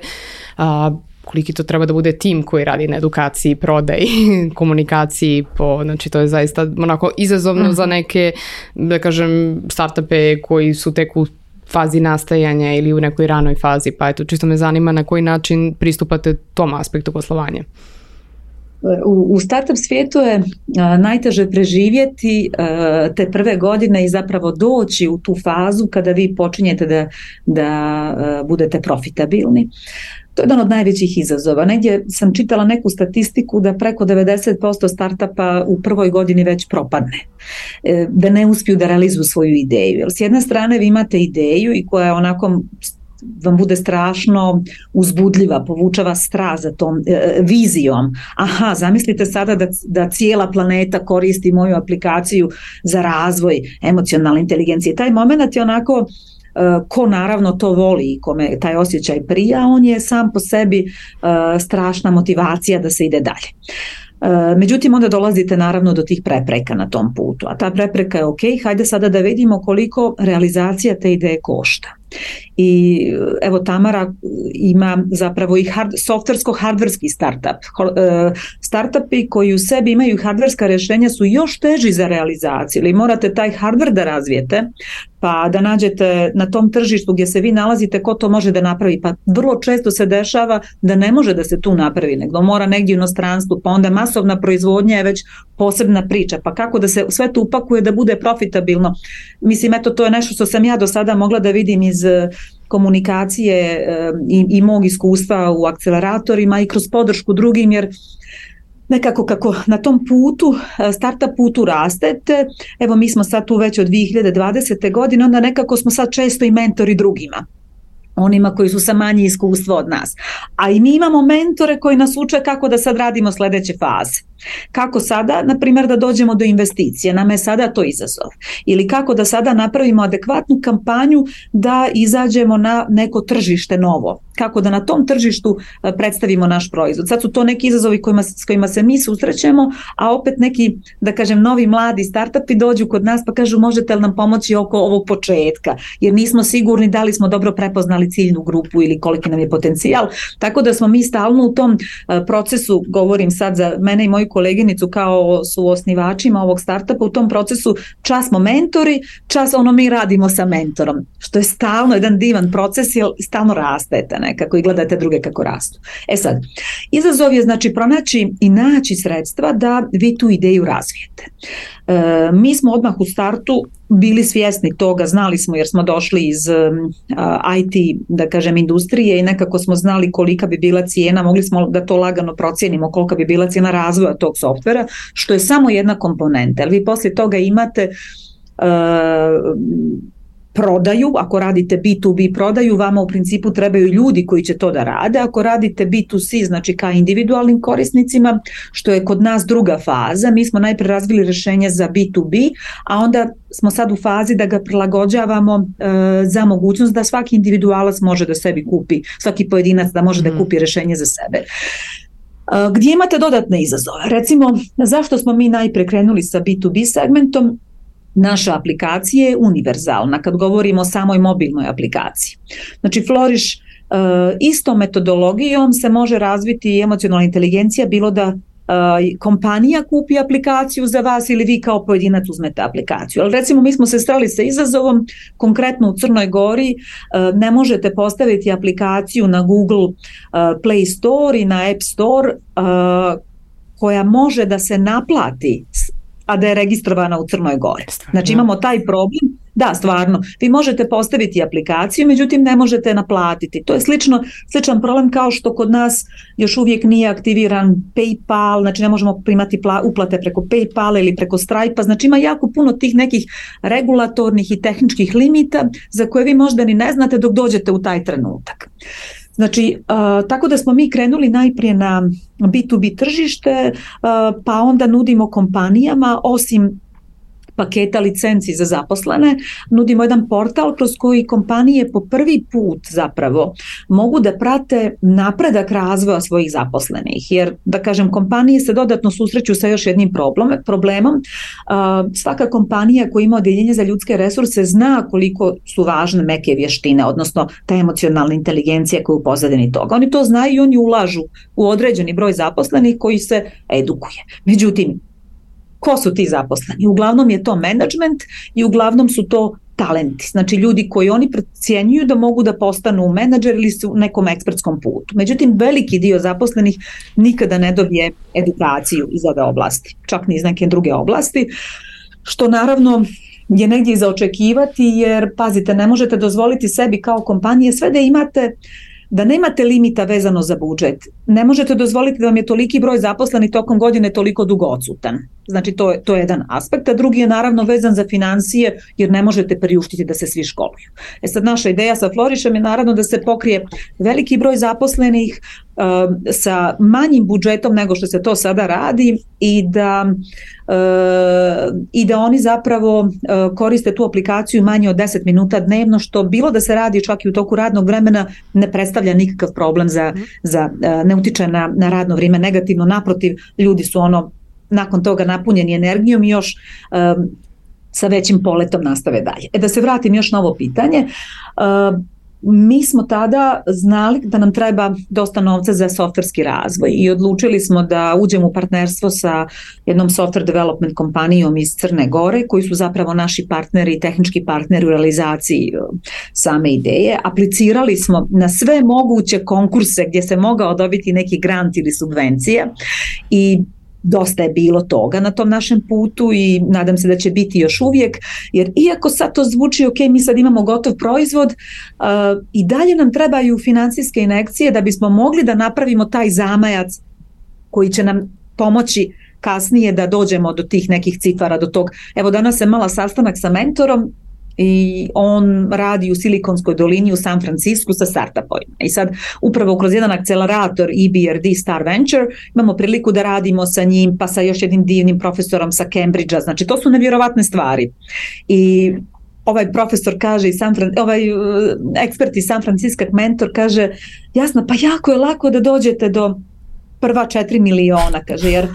koliki to treba da bude tim koji radi na edukaciji, prodaji, komunikaciji, znači to je zaista onako izazovno za neke, da kažem, startupe koji su tek u fazi nastajanja ili u nekoj ranoj fazi, pa eto, čisto me zanima na koji način pristupate tom aspektu poslovanja. U startup svijetu je najteže preživjeti te prve godine i zapravo doći u tu fazu kada vi počinjete da budete profitabilni. To je jedan od najvećih izazova. Negdje sam čitala neku statistiku da preko 90% startupa u prvoj godini već propadne, da ne uspiju da realizuju svoju ideju. Jer s jedne strane vi imate ideju i koja je onako vam bude strašno uzbudljiva, povuče vas strast za tom vizijom. Aha, zamislite sada da cijela planeta koristi moju aplikaciju za razvoj emocionalne inteligencije. Taj moment je onako, ko naravno to voli i kome taj osjećaj prija, on je sam po sebi strašna motivacija da se ide dalje. Međutim, onda dolazite naravno do tih prepreka na tom putu, a ta prepreka je ok, hajde sada da vidimo koliko realizacija te ideje košta. I evo Tamara ima zapravo i softversko-hardverski startup. Startupi koji u sebi imaju hardverska rješenja su još teži za realizaciju, ili morate taj hardver da razvijete, pa da nađete na tom tržištu gdje se vi nalazite ko to može da napravi, pa vrlo često se dešava da ne može da se tu napravi, nego mora negdje u inostranstvu, pa onda masovna proizvodnja je već posebna priča, pa kako da se sve to upakuje da bude profitabilno. Mislim, eto, to je nešto što sam ja do sada mogla da vidim iz komunikacije i mog iskustva u akceleratorima i kroz podršku drugim, jer nekako kako na tom putu, startup putu rastete, evo mi smo sad tu već od 2020. godine, onda nekako smo sad često i mentori drugima, onima koji su sa manje iskustva od nas. A i mi imamo mentore koji nas uče kako da sad radimo sljedeće faze. Kako sada, na primjer, da dođemo do investicije, nama je sada to izazov. Ili kako da sada napravimo adekvatnu kampanju da izađemo na neko tržište novo. Kako da na tom tržištu predstavimo naš proizvod. Sad su to neki izazovi s kojima se mi susrećemo, a opet neki, da kažem, novi mladi startupi dođu kod nas pa kažu možete li nam pomoći oko ovog početka, jer nismo sigurni da li smo dobro prepoznali ciljnu grupu ili koliki nam je potencijal. Tako da smo mi stalno u tom procesu, govorim sad za mene i moju koleginicu kao su osnivačima ovog startupa, u tom procesu čas smo mentori, čas mi radimo sa mentorom, što je stalno jedan divan proces, jer stalno rastete nekako i gledate druge kako rastu. E sad, izazov je znači pronaći i naći sredstva da vi tu ideju razvijete. Mi smo odmah u startu bili svjesni toga, znali smo jer smo došli iz IT, da kažem, industrije i nekako smo znali kolika bi bila cijena, mogli smo da to lagano procijenimo kolika bi bila cijena razvoja tog softvera, što je samo jedna komponenta. Vi poslije toga imate prodaju, ako radite B2B prodaju, vama u principu trebaju ljudi koji će to da rade, ako radite B2C, znači ka individualnim korisnicima, što je kod nas druga faza, mi smo najprije razvili rješenje za B2B, a onda smo sad u fazi da ga prilagođavamo za mogućnost da svaki individualac može da sebi kupi, svaki pojedinac da može da kupi rješenje za sebe. Gdje imate dodatne izazove? Recimo, zašto smo mi najprije krenuli sa B2B segmentom? Naša aplikacija je univerzalna kad govorimo o samoj mobilnoj aplikaciji. Znači Flourish istom metodologijom se može razviti emocionalna inteligencija, bilo da kompanija kupi aplikaciju za vas ili vi kao pojedinac uzmete aplikaciju. Ali recimo mi smo se sreli sa izazovom, konkretno u Crnoj Gori ne možete postaviti aplikaciju na Google Play Store i na App Store koja može da se naplati, a da je registrovana u Crnoj Gori. Znači imamo taj problem, da, stvarno, vi možete postaviti aplikaciju, međutim ne možete naplatiti. To je sličan problem kao što kod nas još uvijek nije aktiviran PayPal, znači ne možemo primati uplate preko PayPala ili preko Stripe-a, znači ima jako puno tih nekih regulatornih i tehničkih limita za koje vi možda ni ne znate dok dođete u taj trenutak. Znači, tako da smo mi krenuli najprije na B2B tržište, pa onda nudimo kompanijama, osim paketa licenci za zaposlene, nudimo jedan portal kroz koji kompanije po prvi put zapravo mogu da prate napredak razvoja svojih zaposlenih, jer da kažem kompanije se dodatno susreću sa još jednim problemom. Svaka kompanija koja ima odjeljenje za ljudske resurse zna koliko su važne meke vještine, odnosno ta emocionalna inteligencija koja je u pozadini toga. Oni to znaju i oni ulažu u određeni broj zaposlenih koji se edukuje. Međutim, ko su ti zaposleni? Uglavnom je to menadžment i uglavnom su to talenti, znači ljudi koji oni procjenjuju da mogu da postanu menadžer ili su u nekom ekspertskom putu. Međutim, veliki dio zaposlenih nikada ne dobije edukaciju iz ove oblasti, čak ni iz neke druge oblasti, što naravno je negdje i za očekivati, jer pazite, ne možete dozvoliti sebi kao kompanije sve da imate, da nemate limita vezano za budžet. ne možete dozvoliti da vam je toliki broj zaposlenih tokom godine toliko dugo odsutan. Znači to je jedan aspekt, a drugi je naravno vezan za financije jer ne možete priuštiti da se svi školuju. Sad naša ideja sa Flourišem je naravno da se pokrije veliki broj zaposlenih sa manjim budžetom nego što se to sada radi i da oni zapravo koriste tu aplikaciju manje od 10 minuta dnevno, što bilo da se radi čak i u toku radnog vremena ne predstavlja nikakav problem ne utiče na radno vrijeme negativno, naprotiv, ljudi su nakon toga napunjeni energijom i još sa većim poletom nastave dalje. Da se vratim još na ovo pitanje, mi smo tada znali da nam treba dosta novca za softverski razvoj i odlučili smo da uđemo u partnerstvo sa jednom software development kompanijom iz Crne Gore, koji su zapravo naši partneri i tehnički partneri u realizaciji same ideje. Aplicirali smo na sve moguće konkurse gdje se mogao dobiti neki grant ili subvencija i dosta je bilo toga na tom našem putu i nadam se da će biti još uvijek, jer iako sad to zvuči ok, mi sad imamo gotov proizvod, i dalje nam trebaju financijske injekcije da bismo mogli da napravimo taj zamajac koji će nam pomoći kasnije da dođemo do tih nekih cifara, do tog. Evo danas sam imala sastanak sa mentorom i on radi u Silikonskoj dolini u San Francisku sa startupovima. I sad upravo kroz jedan akcelerator EBRD Star Venture imamo priliku da radimo sa njim, pa sa još jednim divnim profesorom sa Cambridgea. Znači to su nevjerovatne stvari. I ovaj profesor kaže, ekspert iz San Francisco mentor kaže, jasno, pa jako je lako da dođete do prva 4 miliona, kaže, jer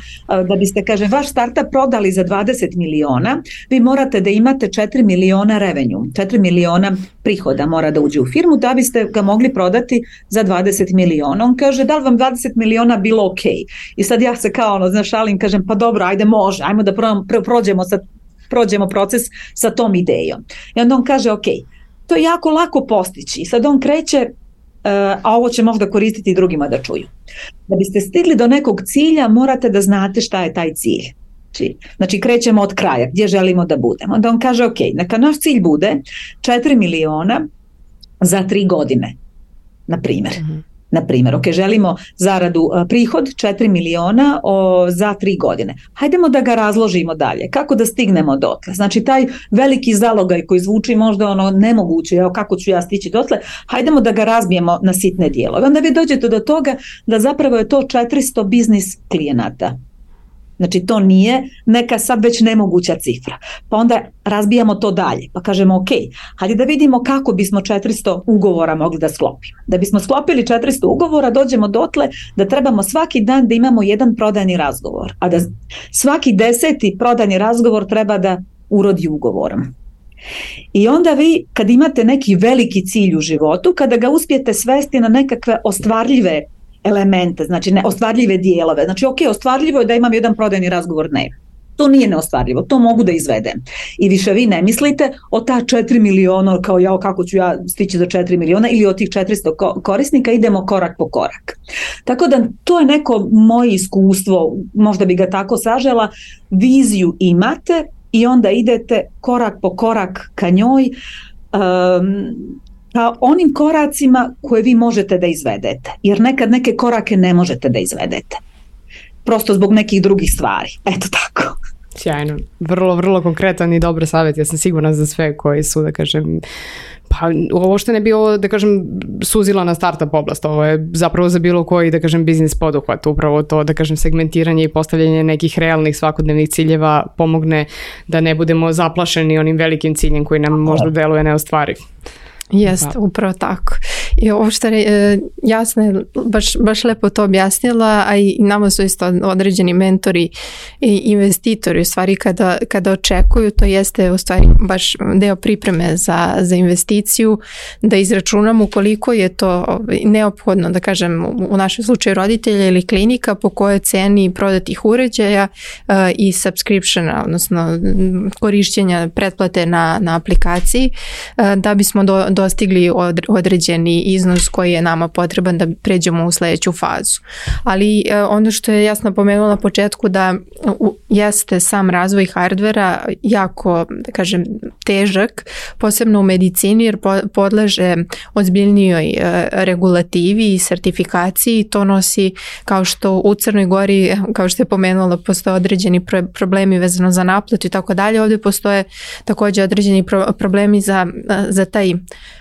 da biste, kaže, vaš startup prodali za 20 miliona, vi morate da imate 4 miliona revenue, 4 miliona prihoda mora da uđe u firmu da biste ga mogli prodati za 20 miliona. On kaže, da li vam 20 miliona bilo ok? I sad ja se kao šalim, kažem, pa dobro, ajde može, ajmo da prođemo proces sa tom idejom. I onda on kaže, ok, to je jako lako postići. I sad on kreće, a ovo će možda koristiti i drugima da čuju. Da biste stigli do nekog cilja, morate da znate šta je taj cilj. Znači krećemo od kraja, gdje želimo da budemo. Onda on kaže, ok, neka naš cilj bude 4 miliona za 3 godine, na primjer, ok, želimo zaradu, prihod 4 miliona za 3 godine. Hajdemo da ga razložimo dalje. Kako da stignemo dotle? Znači taj veliki zalogaj koji zvuči možda nemoguće, kako ću ja stići dotle, hajdemo da ga razbijemo na sitne dijelove. Onda vi dođete do toga da zapravo je to 400 biznis klijenata. Znači to nije neka sad već nemoguća cifra. Pa onda razbijamo to dalje. Pa kažemo ok, hajde da vidimo kako bismo 400 ugovora mogli da sklopimo. Da bismo sklopili 400 ugovora dođemo dotle da trebamo svaki dan da imamo jedan prodajni razgovor. A da svaki 10. prodajni razgovor treba da urodi ugovorom. I onda vi kad imate neki veliki cilj u životu, kada ga uspijete svesti na nekakve ostvarljive elemente, znači neostvarljive dijelove. Znači ok, ostvarljivo je da imam jedan prodajni razgovor dnevno. To nije neostvarljivo, to mogu da izvedem. I više vi ne mislite o ta 4 miliona, kao kako ću ja stići do 4 miliona ili od tih 400 korisnika, idemo korak po korak. Tako da to je neko moje iskustvo, možda bi ga tako sažela, viziju imate i onda idete korak po korak ka njoj, ka onim koracima koje vi možete da izvedete. Jer nekad neke korake ne možete da izvedete. Prosto zbog nekih drugih stvari. Eto tako. Sjajno. Vrlo, vrlo konkretan i dobar savjet. Ja sam sigurna za sve koji su, da kažem, pa ovo što ne bi ovo, da kažem, suzila na startup oblast. Ovo je zapravo za bilo koji, da kažem, biznis poduhvat. Upravo to, da kažem, segmentiranje i postavljanje nekih realnih svakodnevnih ciljeva pomogne da ne budemo zaplašeni onim velikim ciljem koji nam možda deluje neostvariv. Jeste, upravo tako. I ovo što je jasno je, baš lepo to objasnila, a i nama su isto određeni mentori i investitori u stvari kada očekuju, to jeste u stvari baš deo pripreme za investiciju, da izračunamo koliko je to neophodno, da kažem u našem slučaju roditelja ili klinika, po kojoj ceni prodatih uređaja i subscriptiona, odnosno korišćenja pretplate na aplikaciji, da bismo dostigli određeni iznos koji je nama potreban da pređemo u sledeću fazu. Ali ono što je jasno pomenula na početku da jeste sam razvoj hardvera jako, da kažem, težak, posebno u medicini jer podleže ozbiljnijoj regulativi i sertifikaciji. To nosi, kao što u Crnoj Gori, kao što je pomenula, postoje određeni problemi vezano za naplatu i tako dalje. Ovdje postoje također određeni problemi za taj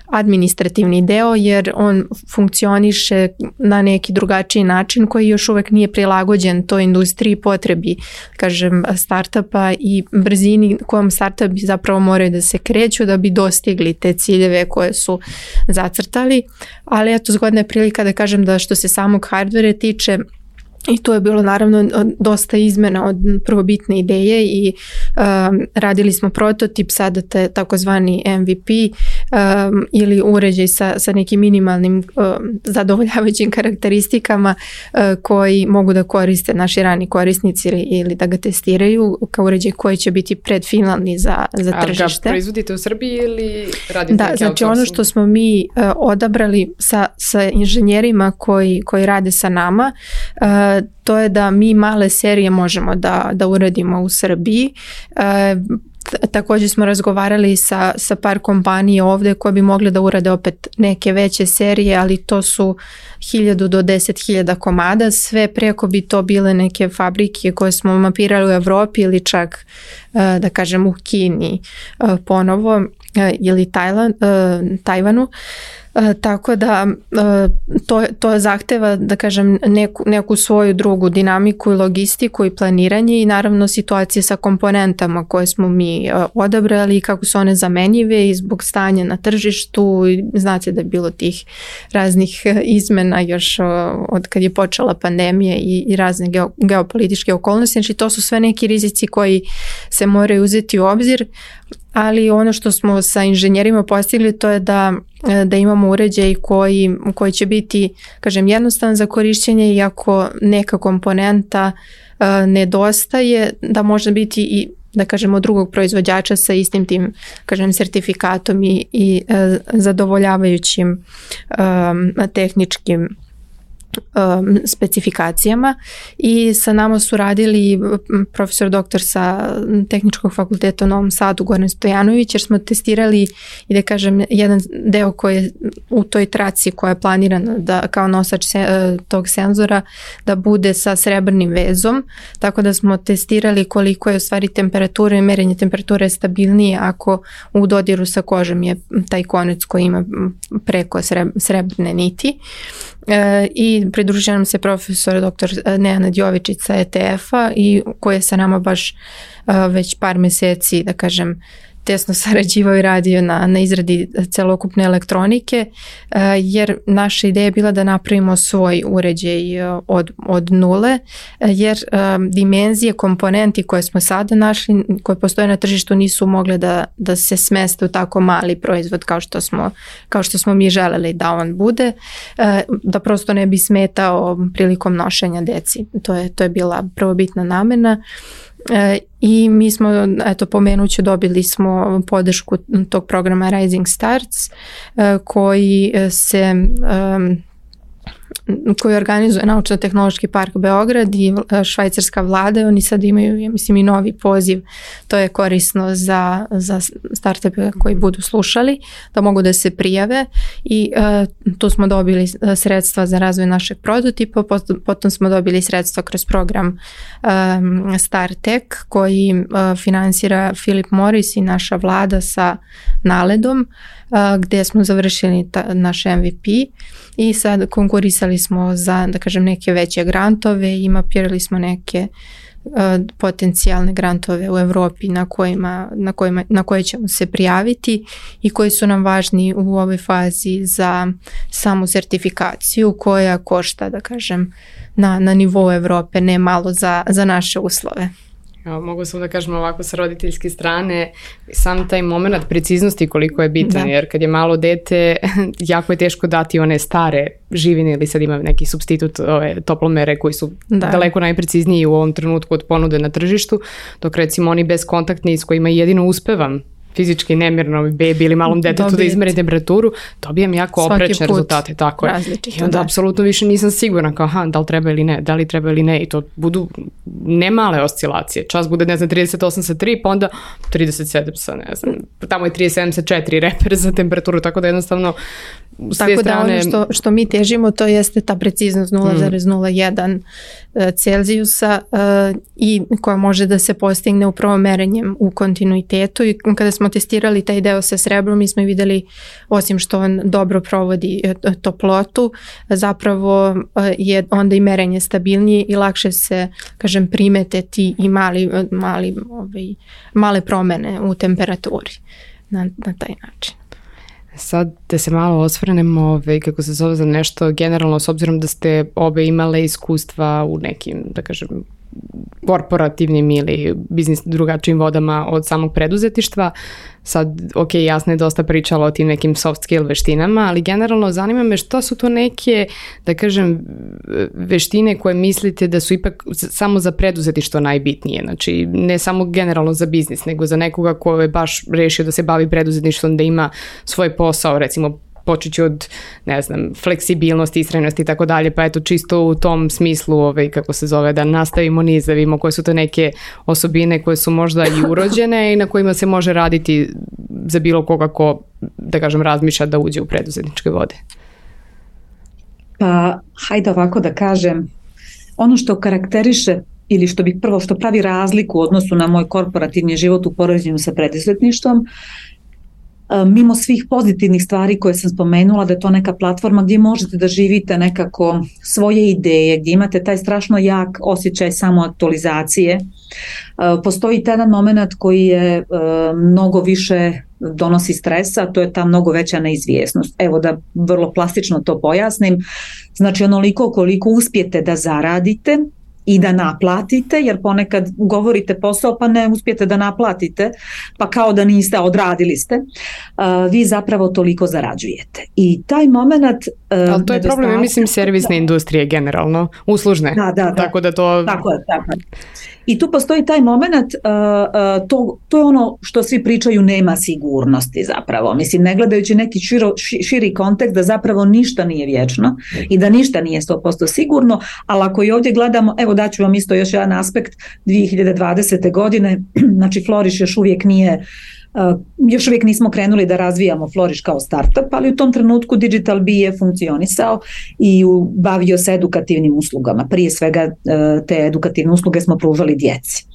administrativni deo jer on funkcioniše na neki drugačiji način koji još uvek nije prilagođen toj industriji potrebi, kažem, startupa i brzini kojom startupi zapravo moraju da se kreću da bi dostigli te ciljeve koje su zacrtali. Ali eto, zgodna je prilika da kažem da što se samog hardvera tiče, i to je bilo naravno dosta izmena od prvobitne ideje i radili smo prototip, sada takozvani MVP ili uređaj sa nekim minimalnim zadovoljavajućim karakteristikama koji mogu da koriste naši rani korisnici ili da ga testiraju kao uređaj koji će biti predfinalni za tržište. A ga proizvodite u Srbiji ili radite? Da, znači ono što smo mi odabrali sa inženjerima koji rade sa nama, to je da mi male serije možemo da uradimo u Srbiji. Također smo razgovarali sa par kompanija ovdje koje bi mogle da urade opet neke veće serije, ali to su 1000 do 10.000 komada, sve preko bi to bile neke fabrike koje smo mapirali u Evropi ili čak da kažem u Kini ponovo ili Tajvanu. Tako da to zahteva, da kažem, neku svoju drugu dinamiku i logistiku i planiranje i naravno situacije sa komponentama koje smo mi odabrali i kako su one zamenjive i zbog stanja na tržištu. Znate da je bilo tih raznih izmena još od kad je počela pandemija i razne geopolitičke okolnosti. Znači to su sve neki rizici koji se moraju uzeti u obzir. Ali ono što smo sa inženjerima postigli to je da imamo uređaj koji će biti, kažem, jednostavan za korišćenje i ako neka komponenta nedostaje, da može biti i, da kažemo, drugog proizvođača sa istim tim, kažem, sertifikatom i zadovoljavajućim tehničkim specifikacijama i sa nama su radili profesor doktor sa Tehničkog fakulteta u Novom Sadu Goran Stojanović, jer smo testirali i da kažem jedan deo koji je u toj traci koja je planirana da kao nosač tog senzora da bude sa srebrnim vezom, tako da smo testirali koliko je u stvari temperatura i merenje temperature stabilnije ako u dodiru sa kožom je taj konec koji ima preko srebrne niti. I pridružio nam se profesor dr. Nenad Jovičić sa ETF-a i koji je sa nama baš već par meseci, da kažem, tesno sarađivao i radio na izradi celokupne elektronike, jer naša ideja je bila da napravimo svoj uređaj od nule, jer dimenzije, komponenti koje smo sada našli, koje postoje na tržištu, nisu mogle da se smeste u tako mali proizvod kao što smo mi želeli da on bude, da prosto ne bi smetao prilikom nošenja deci. To je bila prvobitna namena. I mi smo, eto, pomenuću, dobili smo podršku tog programa Rising Starts koji organizuje Naučno-tehnološki park Beograd i švajcarska vlada. Oni sad imaju, ja mislim, i novi poziv. To je korisno za startupe koji budu slušali, da mogu da se prijave i tu smo dobili sredstva za razvoj našeg prototipa, potom smo dobili sredstva kroz program StarTech koji finansira Philip Morris i naša vlada sa NALED-om, gdje smo završili naš MVP i sad konkurisali smo za, da kažem, neke veće grantove i mapirali smo neke potencijalne grantove u Evropi na koje ćemo se prijaviti i koji su nam važni u ovoj fazi za samu sertifikaciju koja košta, da kažem, na nivou Evrope ne malo za naše uslove. Mogu samo da kažem ovako sa roditeljske strane, sam taj moment preciznosti koliko je bitan, jer kad je malo dete, jako je teško dati one stare živine ili sad ima neki supstitut, toplomere koji su daleko najprecizniji u ovom trenutku od ponude na tržištu, dok recimo oni bezkontaktni s kojima jedino uspevam fizički nemirnoj bebi ili malom detetu da izmeri temperaturu, dobijem jako oprečne rezultate. Tako je. I onda apsolutno više nisam sigurna kao da li treba ili ne, da li treba ili ne, i to budu ne male oscilacije. Čas bude, 38 sa 3, pa onda 37 sa, tamo je 37 sa 4 reper za temperaturu, tako da jednostavno tako da ono što mi težimo, to jeste ta preciznost 0,01 Celzijusa i koja može da se postigne upravo merenjem u kontinuitetu. I kada smo testirali taj deo sa srebrom, mi smo vidjeli, osim što on dobro provodi toplotu, zapravo je onda i merenje stabilnije i lakše se, kažem, primete ti i male promene u temperaturi na taj način. Sad da se malo osvrnemo kako se zove za nešto generalno, s obzirom da ste obe imale iskustva u nekim, da kažem, korporativnim ili biznis drugačijim vodama od samog preduzetništva. Sad, ok, jasno je dosta pričala o tim nekim soft skill veštinama, ali generalno zanima me što su to neke, da kažem, veštine koje mislite da su ipak samo za preduzetništvo najbitnije. Znači, ne samo generalno za biznis, nego za nekoga ko je baš rešio da se bavi preduzetništvom, da ima svoj posao, recimo počet ću od, ne znam, fleksibilnosti, istrajnosti i tako dalje, pa eto čisto u tom smislu, kako se zove, da nastavimo niz, da vidimo koje su to neke osobine koje su možda i urođene i na kojima se može raditi za bilo koga ko, da kažem, razmišlja da uđe u preduzetničke vode. Pa, hajde ovako da kažem, ono što karakteriše ili što pravi razliku u odnosu na moj korporativni život u poređenju sa preduzetništvom, mimo svih pozitivnih stvari koje sam spomenula, da je to neka platforma gdje možete da živite nekako svoje ideje, gdje imate taj strašno jak osjećaj samoaktualizacije. Postoji jedan moment koji je mnogo više donosi stresa, to je ta mnogo veća neizvjesnost. Evo da vrlo plastično to pojasnim. Znači onoliko koliko uspijete da zaradite i da naplatite, jer ponekad ugovorite posao pa ne uspijete da naplatite, pa kao da niste, odradili ste, vi zapravo toliko zarađujete. I taj moment... Ali to je problem, mislim, servisne industrije generalno, uslužne. Da. Tako da to... Tako je. I tu postoji taj moment, to je ono što svi pričaju, nema sigurnosti zapravo. Mislim, ne gledajući neki širi kontekst da zapravo ništa nije vječno i da ništa nije 100% sigurno, ali ako i ovdje gledamo, evo daću vam isto još jedan aspekt 2020. godine, znači Flourish još uvijek nismo krenuli da razvijamo Flourish kao startup, ali u tom trenutku Digital Bee je funkcionisao i bavio se edukativnim uslugama. Prije svega te edukativne usluge smo pružali djeci.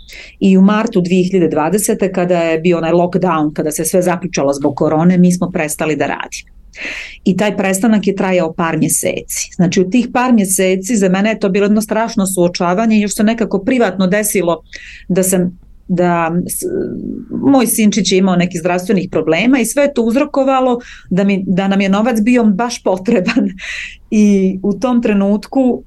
I u martu 2020. kada je bio onaj lockdown, kada se sve zaključalo zbog korone, mi smo prestali da radimo. I taj prestanak je trajao par mjeseci. Znači u tih par mjeseci za mene je to bilo jedno strašno suočavanje i još se nekako privatno desilo da moj sinčić je imao nekih zdravstvenih problema i sve je to uzrokovalo da nam je novac bio baš potreban i u tom trenutku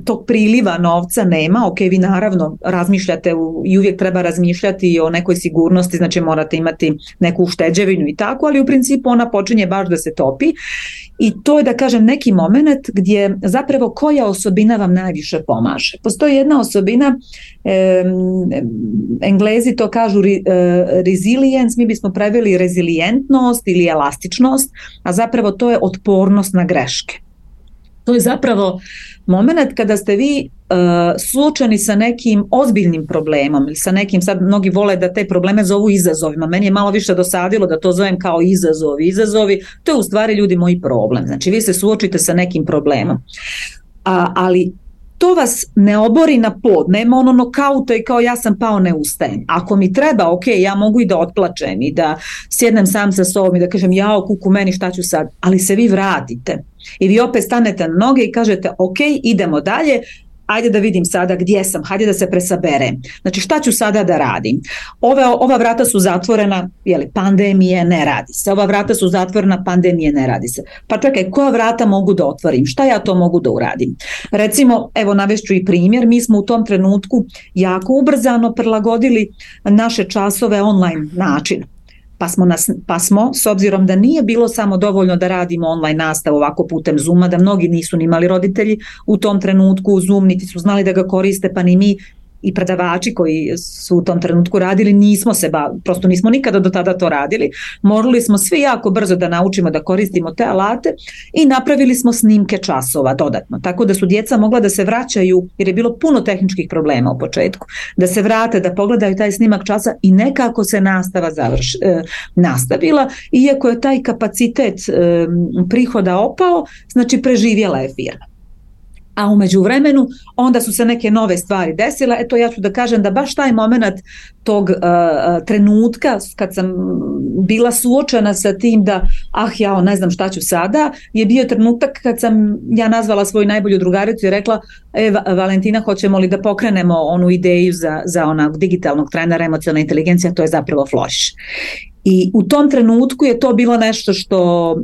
tog priliva novca nema. Ok, vi naravno razmišljate i uvijek treba razmišljati o nekoj sigurnosti, znači morate imati neku ušteđevinu i tako, ali u principu ona počinje baš da se topi i to je, da kažem, neki moment gdje zapravo koja osobina vam najviše pomaže. Postoji jedna osobina, Englezi to kažu resilience, mi bismo preveli rezilijentnost ili elastičnost, a zapravo to je otpornost na greške. To je zapravo moment kada ste vi suočeni sa nekim ozbiljnim problemom ili sa nekim, sad mnogi vole da te probleme zovu izazovima, meni je malo više dosadilo da to zovem kao izazovi, to je u stvari, ljudi, moj problem. Znači vi se suočite sa nekim problemom, ali to vas ne obori na pod, nema ono nokauta i kao ja sam pao, ne ustajem. Ako mi treba, ok, ja mogu i da otplačem i da sjednem sam sa sobom i da kažem jao kuku meni, šta ću sad, ali se vi vratite i vi opet stanete na noge i kažete ok, idemo dalje, ajde da vidim sada gdje sam, hajde da se presaberem. Znači šta ću sada da radim? Ova vrata su zatvorena, pandemije, ne radi se. Ova vrata su zatvorena, pandemije, ne radi se. Pa čekaj, koja vrata mogu da otvorim? Šta ja to mogu da uradim? Recimo, evo navešću i primjer, mi smo u tom trenutku jako ubrzano prilagodili naše časove online način. Pa smo, s obzirom da nije bilo samo dovoljno da radimo online nastavu ovako putem Zooma, da mnogi nisu ni imali roditelji u tom trenutku Zoom, niti su znali da ga koriste, pa ni mi, i predavači koji su u tom trenutku radili, prosto nismo nikada do tada to radili. Morali smo svi jako brzo da naučimo da koristimo te alate i napravili smo snimke časova dodatno. Tako da su djeca mogla da se vraćaju, jer je bilo puno tehničkih problema u početku, da se vrate, da pogledaju taj snimak časa i nekako se nastava nastavila, iako je taj kapacitet prihoda opao, znači preživjela je firma. A u međuvremenu onda su se neke nove stvari desile. Eto, ja ću da kažem da baš taj moment tog trenutka kad sam bila suočena sa tim da ja ne znam šta ću sada, je bio trenutak kad sam ja nazvala svoju najbolju drugaricu i rekla Valentina, hoćemo li da pokrenemo onu ideju za onog digitalnog trenera emocionalne inteligencije, a to je zapravo Flourish. I u tom trenutku je to bilo nešto što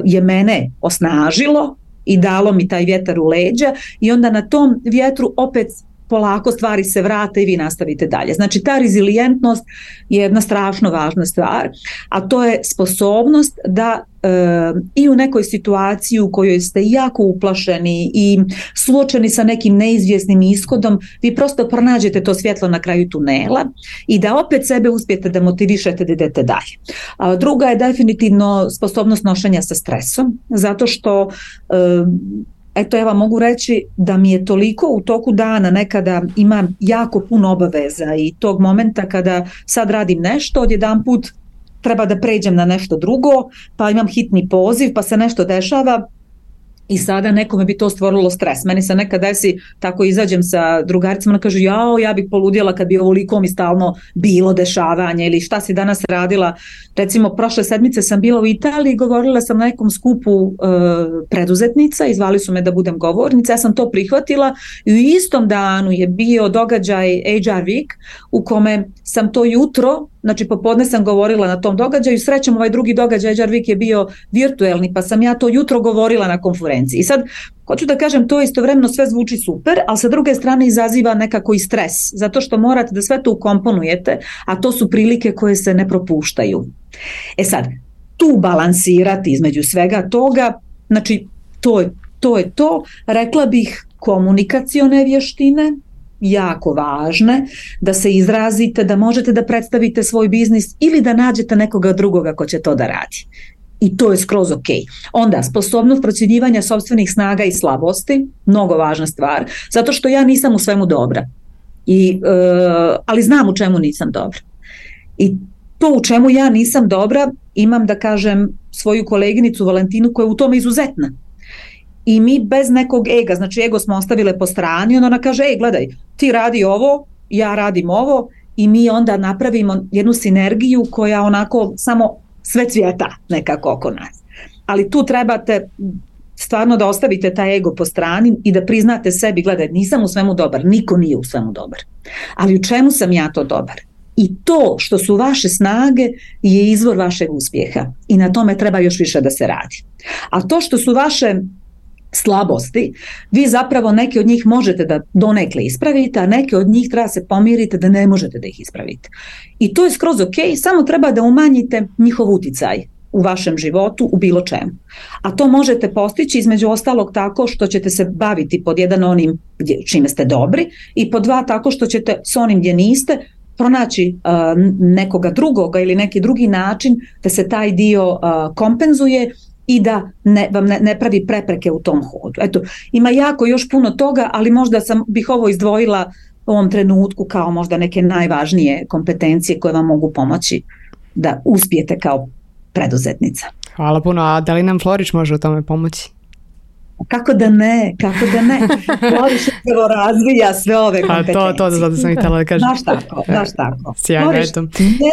je mene osnažilo i dalo mi taj vjetar u leđa i onda na tom vjetru opet polako stvari se vrate i vi nastavite dalje. Znači ta rezilijentnost je jedna strašno važna stvar, a to je sposobnost da i u nekoj situaciji u kojoj ste jako uplašeni i suočeni sa nekim neizvjesnim ishodom, vi prosto pronađete to svjetlo na kraju tunela i da opet sebe uspijete da motivišete da idete dalje. A druga je definitivno sposobnost nošenja sa stresom, zato što eto, ja vam mogu reći da mi je toliko u toku dana nekada imam jako puno obaveza i tog momenta kada sad radim nešto, odjedanput treba da pređem na nešto drugo, pa imam hitni poziv, pa se nešto dešava i sada nekome bi to stvorilo stres. Meni se nekad desi, tako izađem sa drugaricama, ona kaže ja bih poludjela kad bi ovoliko mi stalno bilo dešavanje ili šta si danas radila. Recimo, prošle sedmice sam bila u Italiji, govorila sam na nekom skupu preduzetnica i zvali su me da budem govornica, ja sam to prihvatila i u istom danu je bio događaj HR Week u kome sam to jutro, znači popodne sam govorila na tom događaju, srećom ovaj drugi događaj HR Week je bio virtuelni, pa sam ja to jutro govorila na konferenciji. I sad, hoću da kažem, to istovremeno sve zvuči super, ali sa druge strane izaziva nekako i stres, zato što morate da sve to ukomponujete, a to su prilike koje se ne propuštaju. E sad, tu balansirati između svega toga, znači to je to, rekla bih komunikacione vještine, jako važne, da se izrazite, da možete da predstavite svoj biznis ili da nađete nekoga drugoga ko će to da radi. I to je skroz ok. Onda, sposobnost procjenjivanja sopstvenih snaga i slabosti, mnogo važna stvar, zato što ja nisam u svemu dobra. Ali znam u čemu nisam dobra. I to u čemu ja nisam dobra, imam da kažem svoju koleginicu Valentinu koja je u tome izuzetna. I mi bez nekog ega, znači ego smo ostavile po strani, ona kaže, gledaj, ti radi ovo, ja radim ovo i mi onda napravimo jednu sinergiju koja onako samo sve cvjeta nekako oko nas. Ali tu trebate stvarno da ostavite taj ego po strani i da priznate sebi, gledaj, nisam u svemu dobar, niko nije u svemu dobar. Ali u čemu sam ja to dobar? I to što su vaše snage je izvor vašeg uspjeha i na tome treba još više da se radi. A to što su vaše slabosti, vi zapravo neke od njih možete da donekle ispravite, a neke od njih treba se pomirite da ne možete da ih ispravite. I to je skroz ok, samo treba da umanjite njihov uticaj u vašem životu, u bilo čemu. A to možete postići između ostalog tako što ćete se baviti pod jedan onim čime ste dobri i pod dva tako što ćete s onim gdje niste pronaći nekoga drugoga ili neki drugi način da se taj dio kompenzuje i da vam ne pravi prepreke u tom hodu. Eto, ima jako još puno toga, ali možda bih ovo izdvojila u ovom trenutku kao možda neke najvažnije kompetencije koje vam mogu pomoći da uspijete kao preduzetnica. Hvala puno, a da li nam Flourish može u tome pomoći? Kako da ne? Flourish upravo razvija sve ove kompetencije. To zato sam i htjela da kažem. Baš tako. Sjajno, eto.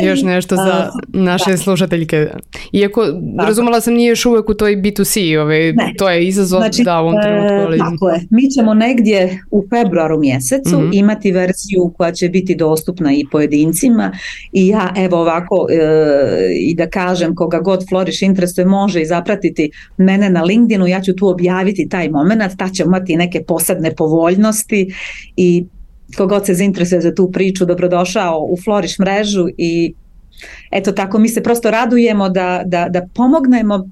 Još nešto za naše slušateljke. Iako razumela sam nije još uvijek u toj B2C, to je izazov da u ovom trenutku. Tako je. Mi ćemo negdje u februaru mjesecu imati verziju koja će biti dostupna i pojedincima i ja evo ovako i da kažem koga god Flourish interesuje može i zapratiti mene na LinkedInu, ja ću tu objaviti taj moment, ta će imati neke posebne povoljnosti i kogod se zainteresuje za tu priču, dobrodošao u Flourish mrežu i eto tako mi se prosto radujemo da pomognemo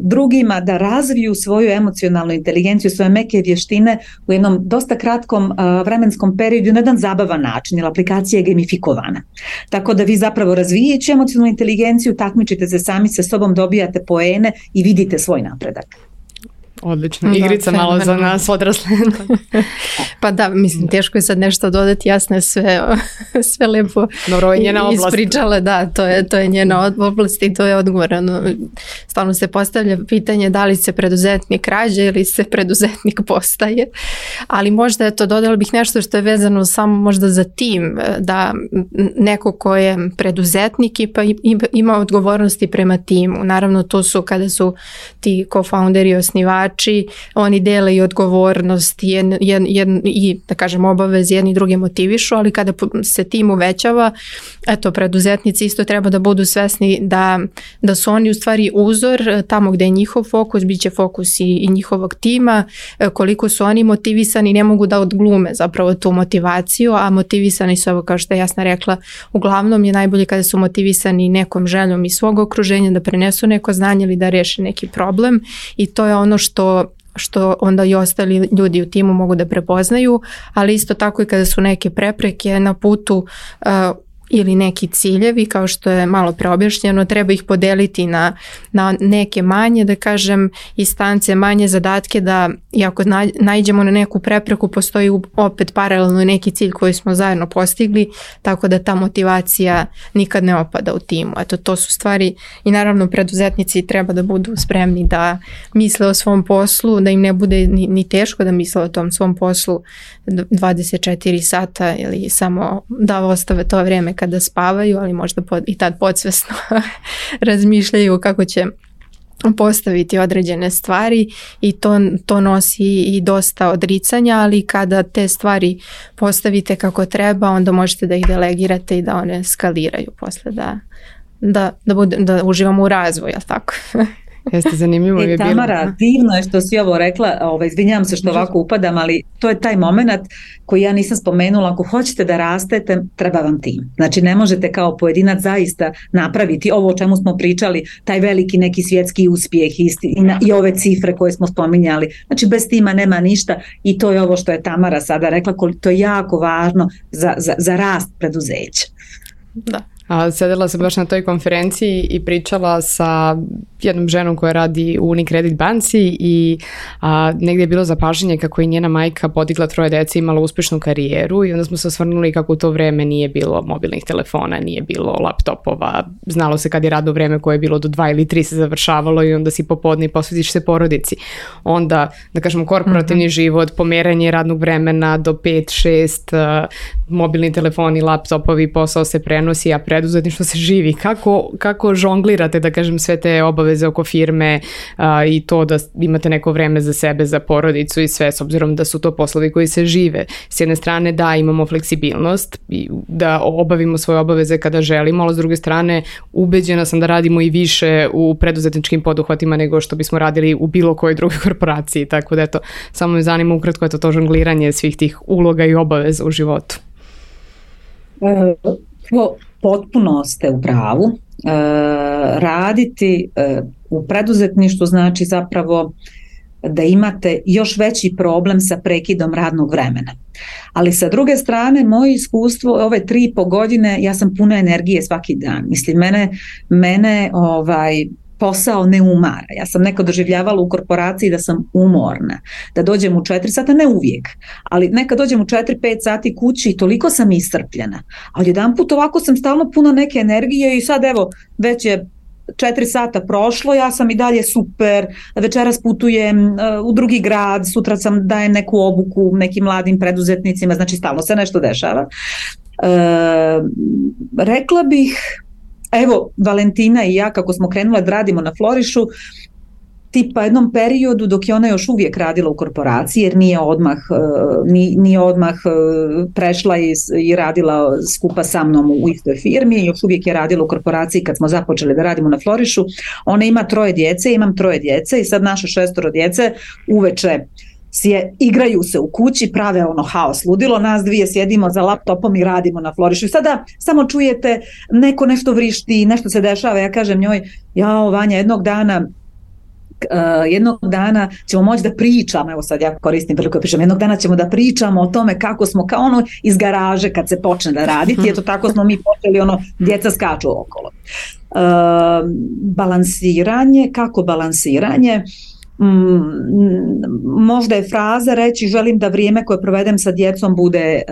drugima da razviju svoju emocionalnu inteligenciju, svoje meke vještine u jednom dosta kratkom vremenskom periodu na jedan zabavan način, jer aplikacija je gamifikovana. Tako da vi zapravo razvijajući emocionalnu inteligenciju takmičite se sami sa sobom, dobijate poene i vidite svoj napredak. Odlično, igrica da, malo za nas odrasle. Pa da, mislim, teško je sad nešto dodati, jasno je sve lepo. Dobro, je njena oblast. Ispričale, da, to je njena oblast i to je odgovor. Stalno se postavlja pitanje da li se preduzetnik rađa ili se preduzetnik postaje, ali možda dodala bih nešto što je vezano samo možda za tim, da neko ko je preduzetnik pa ima odgovornosti prema timu. Naravno, to su kada su ti co-founderi i osnivači, oni dele i odgovornost i da kažem obaveze, jedni drugi motivišu, ali kada se tim uvećava, eto, preduzetnici isto treba da budu svesni da su oni u stvari uzor tamo gde je njihov fokus, bit će fokus i njihovog tima, koliko su oni motivisani, ne mogu da odglume zapravo tu motivaciju, a motivisani su, ovo kao što je Jasna rekla, uglavnom je najbolje kada su motivisani nekom željom iz svog okruženja da prenesu neko znanje ili da reše neki problem, i to je ono što onda i ostali ljudi u timu mogu da prepoznaju, ali isto tako i kada su neke prepreke na putu ili neki ciljevi, kao što je malo preobjašnjeno, treba ih podeliti na neke manje, da kažem, instance, manje zadatke, da i ako naiđemo na neku prepreku, postoji opet paralelno neki cilj koji smo zajedno postigli, tako da ta motivacija nikad ne opada u timu. Eto, to su stvari, i naravno preduzetnici treba da budu spremni da misle o svom poslu, da im ne bude ni teško da misle o tom svom poslu 24 sata ili samo da ostave to vrijeme kada spavaju, ali možda i tad podsvesno razmišljaju kako će postaviti određene stvari, i to nosi i dosta odricanja, ali kada te stvari postavite kako treba, onda možete da ih delegirate i da one skaliraju posle, da uživamo u razvoju, jel tako? Jeste, zanimljivo je bilo. Tamara, divno je što si ovo rekla, izvinjavam se što ovako upadam, ali to je taj moment koji ja nisam spomenula. Ako hoćete da rastete, treba vam tim. Znači, ne možete kao pojedinac zaista napraviti ovo o čemu smo pričali, taj veliki neki svjetski uspjeh i ove cifre koje smo spominjali. Znači, bez tima nema ništa, i to je ovo što je Tamara sada rekla, to je jako važno za rast preduzeća. Da. Sedela sam baš na toj konferenciji i pričala sa jednom ženom koja radi u Unicredit banci i negdje je bilo zapažanje kako je njena majka podigla 3 dece, imala uspješnu karijeru, i onda smo se osvrnuli kako u to vrijeme nije bilo mobilnih telefona, nije bilo laptopova, znalo se kad je radno vrijeme koje je bilo do 2 ili 3 se završavalo i onda si popodne i posvetiš se porodici. Onda, da kažemo, korporativni život, pomeranje radnog vremena do 5-6, mobilni telefoni, laptopovi, posao se prenosi, a preduzetništvo se živi. Kako žonglirate, da kažem, sve te obaveze oko firme i to da imate neko vreme za sebe, za porodicu i sve, s obzirom da su to poslovi koji se žive. S jedne strane da imamo fleksibilnost i da obavimo svoje obaveze kada želimo, ali s druge strane ubeđena sam da radimo i više u preduzetničkim poduhvatima nego što bismo radili u bilo kojoj drugoj korporaciji. Tako da eto, samo me zanima ukratko to žongliranje svih tih uloga i obaveza u životu. Potpuno ste u pravu. Raditi u preduzetništvu znači zapravo da imate još veći problem sa prekidom radnog vremena. Ali sa druge strane, moje iskustvo ove 3,5 godine, ja sam puna energije svaki dan. Mislim, mene posao ne umara. Ja sam nekad doživljavala u korporaciji da sam umorna, da dođem u 4 sata, ne uvijek, ali nekad dođem u 4-5 sati kući i toliko sam iscrpljena. Ali jedanput ovako sam stalno puna neke energije i sad evo, već je 4 sata prošlo, ja sam i dalje super, večeras putujem u drugi grad, sutra sam dajem neku obuku nekim mladim preduzetnicima, znači stalno se nešto dešava. Rekla bih, evo, Valentina i ja kako smo krenule da radimo na Florišu, tipa jednom periodu dok je ona još uvijek radila u korporaciji, jer nije odmah prešla i radila skupa sa mnom u istoj firmi, još uvijek je radila u korporaciji kad smo započeli da radimo na Florišu. Ona ima 3 djece, imam 3 djece i sad naše 6 djece uveče igraju se u kući, prave ono haos, ludilo, nas dvije sjedimo za laptopom i radimo na florišu. I sada samo čujete neko nešto vrišti, nešto se dešava, ja kažem njoj, jao Vanja, jednog dana ćemo moći da pričamo, evo sad ja koristim priliku da pričam, jednog dana ćemo da pričamo o tome kako smo kao ono iz garaže kad se počne da raditi, eto tako smo mi počeli, ono, djeca skaču okolo. Balansiranje, kako balansiranje? Možda je fraza reći želim da vrijeme koje provedem sa djecom bude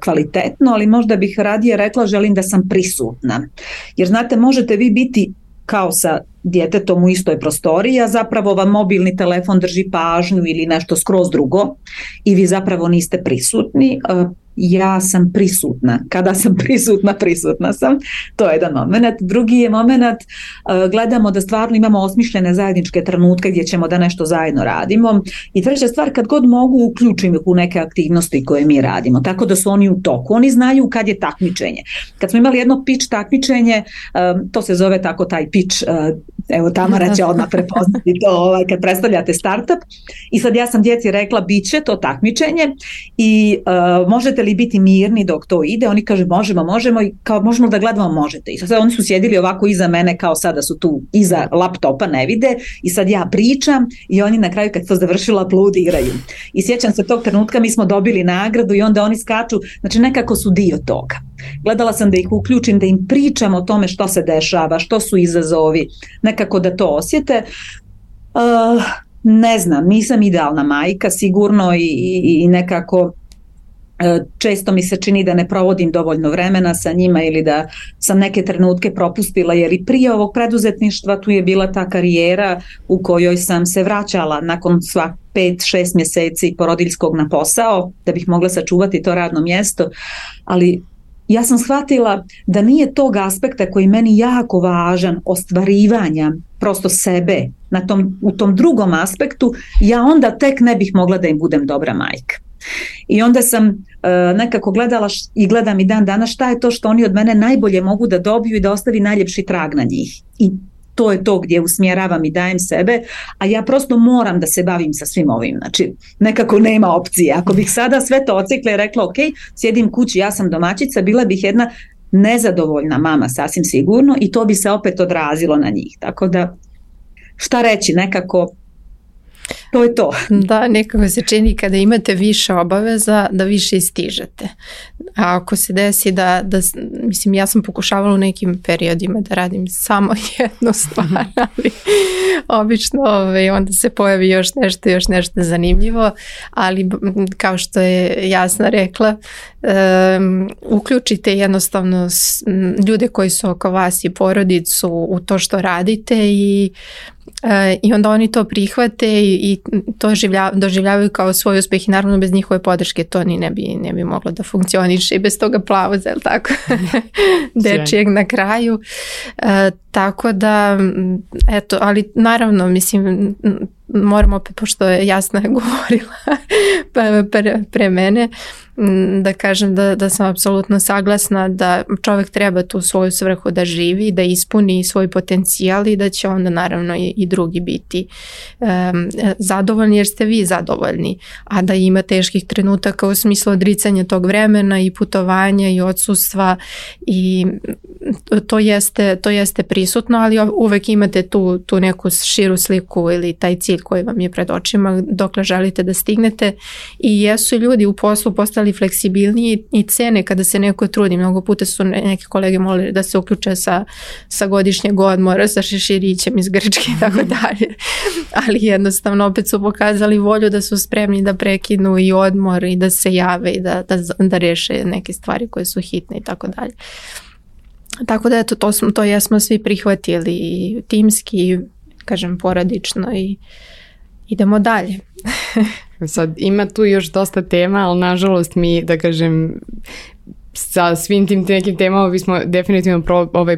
kvalitetno, ali možda bih radije rekla želim da sam prisutna. Jer znate, možete vi biti kao sa djetetom u istoj prostoriji, a zapravo vam mobilni telefon drži pažnju ili nešto skroz drugo i vi zapravo niste prisutni. Ja sam prisutna. Kada sam prisutna sam. To je jedan moment. Drugi je moment, gledamo da stvarno imamo osmišljene zajedničke trenutke gdje ćemo da nešto zajedno radimo. I treća stvar, kad god mogu, uključim ih u neke aktivnosti koje mi radimo. Tako da su oni u toku. Oni znaju kad je takmičenje. Kad smo imali jedno pitch takmičenje, to se zove tako taj pitch, evo Tamara će odmah prepoznati to kad predstavljate startup. I sad ja sam djeci rekla, bit će to takmičenje i možete li biti mirni dok to ide? Oni kaže možemo i kao možemo da gledamo, možete. I sad oni su sjedili ovako iza mene kao sada su tu iza laptopa, ne vide i sad ja pričam i oni na kraju kad to završila aplaudiraju. I sjećam se tog trenutka, mi smo dobili nagradu i onda oni skaču, znači nekako su dio toga. Gledala sam da ih uključim, da im pričam o tome što se dešava, što su izazovi, nekako da to osjete. Ne znam, nisam idealna majka sigurno i nekako često mi se čini da ne provodim dovoljno vremena sa njima ili da sam neke trenutke propustila, jer i prije ovog preduzetništva tu je bila ta karijera u kojoj sam se vraćala nakon svak 5-6 mjeseci porodiljskog na posao da bih mogla sačuvati to radno mjesto, ali ja sam shvatila da nije tog aspekta koji meni jako važan, ostvarivanja prosto sebe u tom drugom aspektu, ja onda tek ne bih mogla da im budem dobra majka. I onda sam nekako gledala i gledam i dan danas šta je to što oni od mene najbolje mogu da dobiju i da ostavi najljepši trag na njih. I to je to gdje usmjeravam i dajem sebe, a ja prosto moram da se bavim sa svim ovim. Znači, nekako nema opcije. Ako bih sada sve to ocikla i rekla, ok, sjedim kući, ja sam domaćica, bila bih jedna nezadovoljna mama, sasvim sigurno, i to bi se opet odrazilo na njih. Tako da, šta reći, nekako to je to. Da, nekako se čini kada imate više obaveza da više istižete. A ako se desi mislim, ja sam pokušavala u nekim periodima da radim samo jednu stvar, ali obično onda se pojavi još nešto zanimljivo, ali kao što je Jasna rekla, uključite jednostavno ljude koji su oko vas i porodicu u to što radite i onda oni to prihvate i to doživljavaju kao svoj uspjeh i naravno bez njihove podrške to ni ne bi moglo da funkcioniše i bez toga aplauza, je li tako? Dečijeg na kraju. Tako da, eto, ali naravno, mislim, moram opet, pošto je Jasna govorila pre mene, da kažem da sam apsolutno saglasna da čovjek treba tu svoju svrhu da živi, da ispuni svoj potencijal i da će onda naravno i drugi biti zadovoljni jer ste vi zadovoljni, a da ima teških trenutaka u smislu odricanja tog vremena i putovanja i odsustva i to jeste prisutno, ali uvek imate tu neku širu sliku ili taj cilj koji vam je pred očima dokle želite da stignete i jesu ljudi u poslu postali fleksibilniji i cene kada se neko trudi. Mnogo puta su neki kolege molili da se uključe sa godišnjeg odmora, sa šeširićem iz Grčke i tako dalje. Ali jednostavno opet su pokazali volju da su spremni da prekinu i odmor i da se jave i da reše neke stvari koje su hitne i tako dalje. Tako da eto, to jesmo svi prihvatili timski, kažem poradično i idemo dalje. Sad ima tu još dosta tema, ali nažalost mi, da kažem, sa svim tim nekim temama bismo definitivno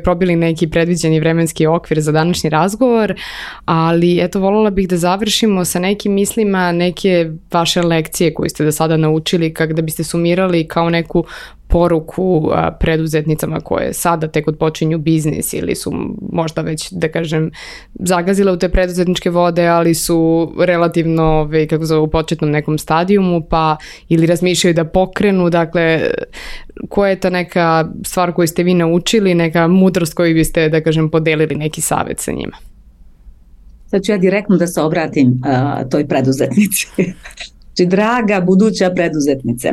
probili neki predviđeni vremenski okvir za današnji razgovor, ali eto, voljela bih da završimo sa nekim mislima, neke vaše lekcije koje ste do sada naučili, kako da biste sumirali kao neku poruku preduzetnicama koje sada tek odpočinju biznis ili su možda već, da kažem, zagazile u te preduzetničke vode, ali su relativno u početnom nekom stadijumu, pa ili razmišljaju da pokrenu, dakle, koja je ta neka stvar koju ste vi naučili, neka mudrost koju biste, da kažem, podelili neki savjet sa njima? Sad ću ja direktno da se obratim toj preduzetnici. Znači, draga buduća preduzetnice,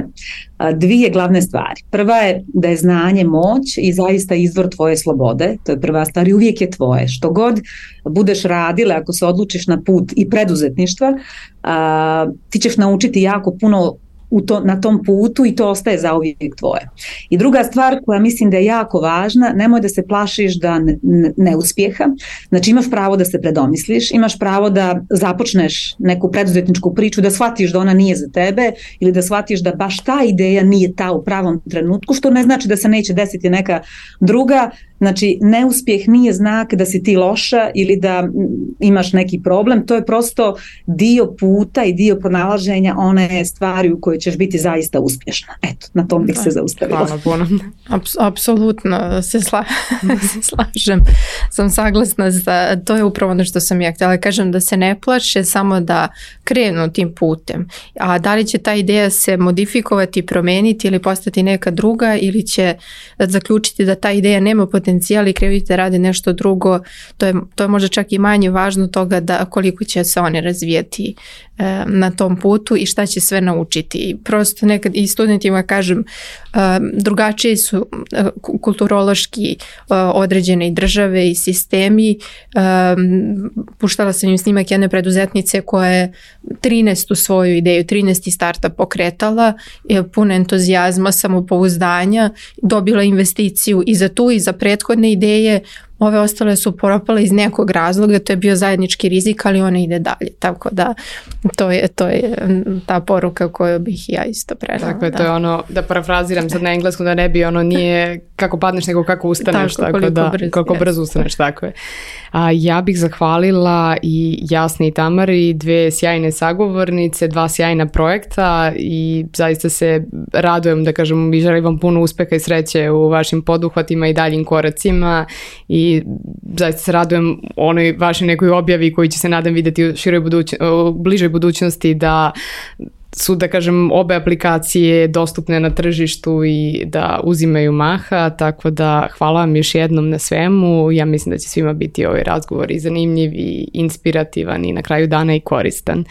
dvije glavne stvari. Prva je da je znanje moć i zaista izvor tvoje slobode, to je prva stvar i uvijek je tvoje. Što god budeš radila, ako se odlučiš na put i preduzetništva, ti ćeš naučiti jako puno na tom putu i to ostaje zauvijek tvoje. I druga stvar koja mislim da je jako važna, nemoj da se plašiš da neuspjeha. Znači, imaš pravo da se predomisliš, imaš pravo da započneš neku preduzetničku priču, da shvatiš da ona nije za tebe ili da shvatiš da baš ta ideja nije ta u pravom trenutku, što ne znači da se neće desiti neka druga. Znači, neuspjeh nije znak da si ti loša ili da imaš neki problem, to je prosto dio puta i dio pronalaženja one stvari u kojoj ćeš biti zaista uspješna. Eto, na tom bih se zaustavila. Hvala puno. Apsolutno se slažem. Sam saglasna za to, je upravo ono što sam ja htjela kažem, da se ne plaše, samo da krenu tim putem. A da li će ta ideja se modifikovati, promijeniti ili postati neka druga, ili će zaključiti da ta ideja nema potencijal i krenuti da radi nešto drugo, to je možda čak i manje važno toga da koliko će se oni razvijeti na tom putu i šta će sve naučiti. Prosto nekad i studentima kažem, drugačije su kulturološki određene i države i sistemi. Puštala sam im snimak jedne preduzetnice koja je 13. svoju ideju, 13. startup pokretala, puno entuzijazma, samopouzdanja, dobila investiciju i za tu i za prethodne ideje. Ove ostale su propale iz nekog razloga, to je bio zajednički rizik, ali ona ide dalje. Tako da to je ta poruka koju bih ja isto prenala. Tako je, to je ono, da parafraziram sad na engleskom, da ne bi ono nije kako padneš nego kako ustaneš, koliko brzo ustaneš, tako je. Ja bih zahvalila i Jasni i Tamari, dve sjajne sagovornice, dva sjajna projekta i zaista se radujem, da kažem, i želim vam puno uspeha i sreće u vašim poduhvatima i daljim koracima i zaista se radujem onoj vašoj nekoj objavi koji će se nadam vidjeti u bližoj budućnosti, da su, da kažem, obe aplikacije dostupne na tržištu i da uzimaju maha, tako da hvala vam još jednom na svemu. Ja mislim da će svima biti ovaj razgovor i zanimljiv i inspirativan i na kraju dana i koristan.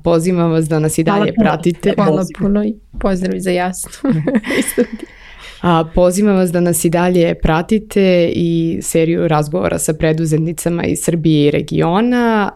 Pozivam vas da nas i dalje pratite. Hvala puno i pozdrav za Jasnu. Pozivam vas da nas i dalje pratite i seriju razgovora sa preduzetnicama iz Srbije i regiona.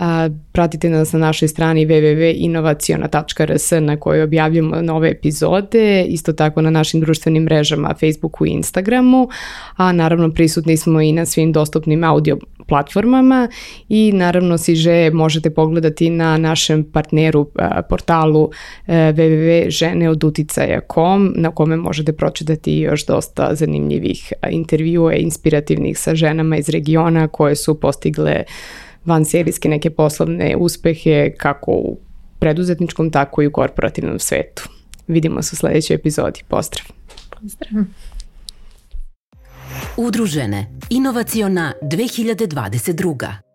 Pratite nas na našoj strani www.inovaciona.rs na kojoj objavljamo nove epizode, isto tako na našim društvenim mrežama Facebooku i Instagramu, a naravno prisutni smo i na svim dostupnim audio platformama i naravno Siže možete pogledati na našem partneru portalu www.ženeoduticaja.com na kome možete pročitati još dosta zanimljivih intervjua inspirativnih sa ženama iz regiona koje su postigle vanserijske neke poslovne uspehe kako u preduzetničkom tako i u korporativnom svetu. Vidimo se u sljedećoj epizodi. Pozdrav! Pozdrav! Udružene. Inovaciona 2022.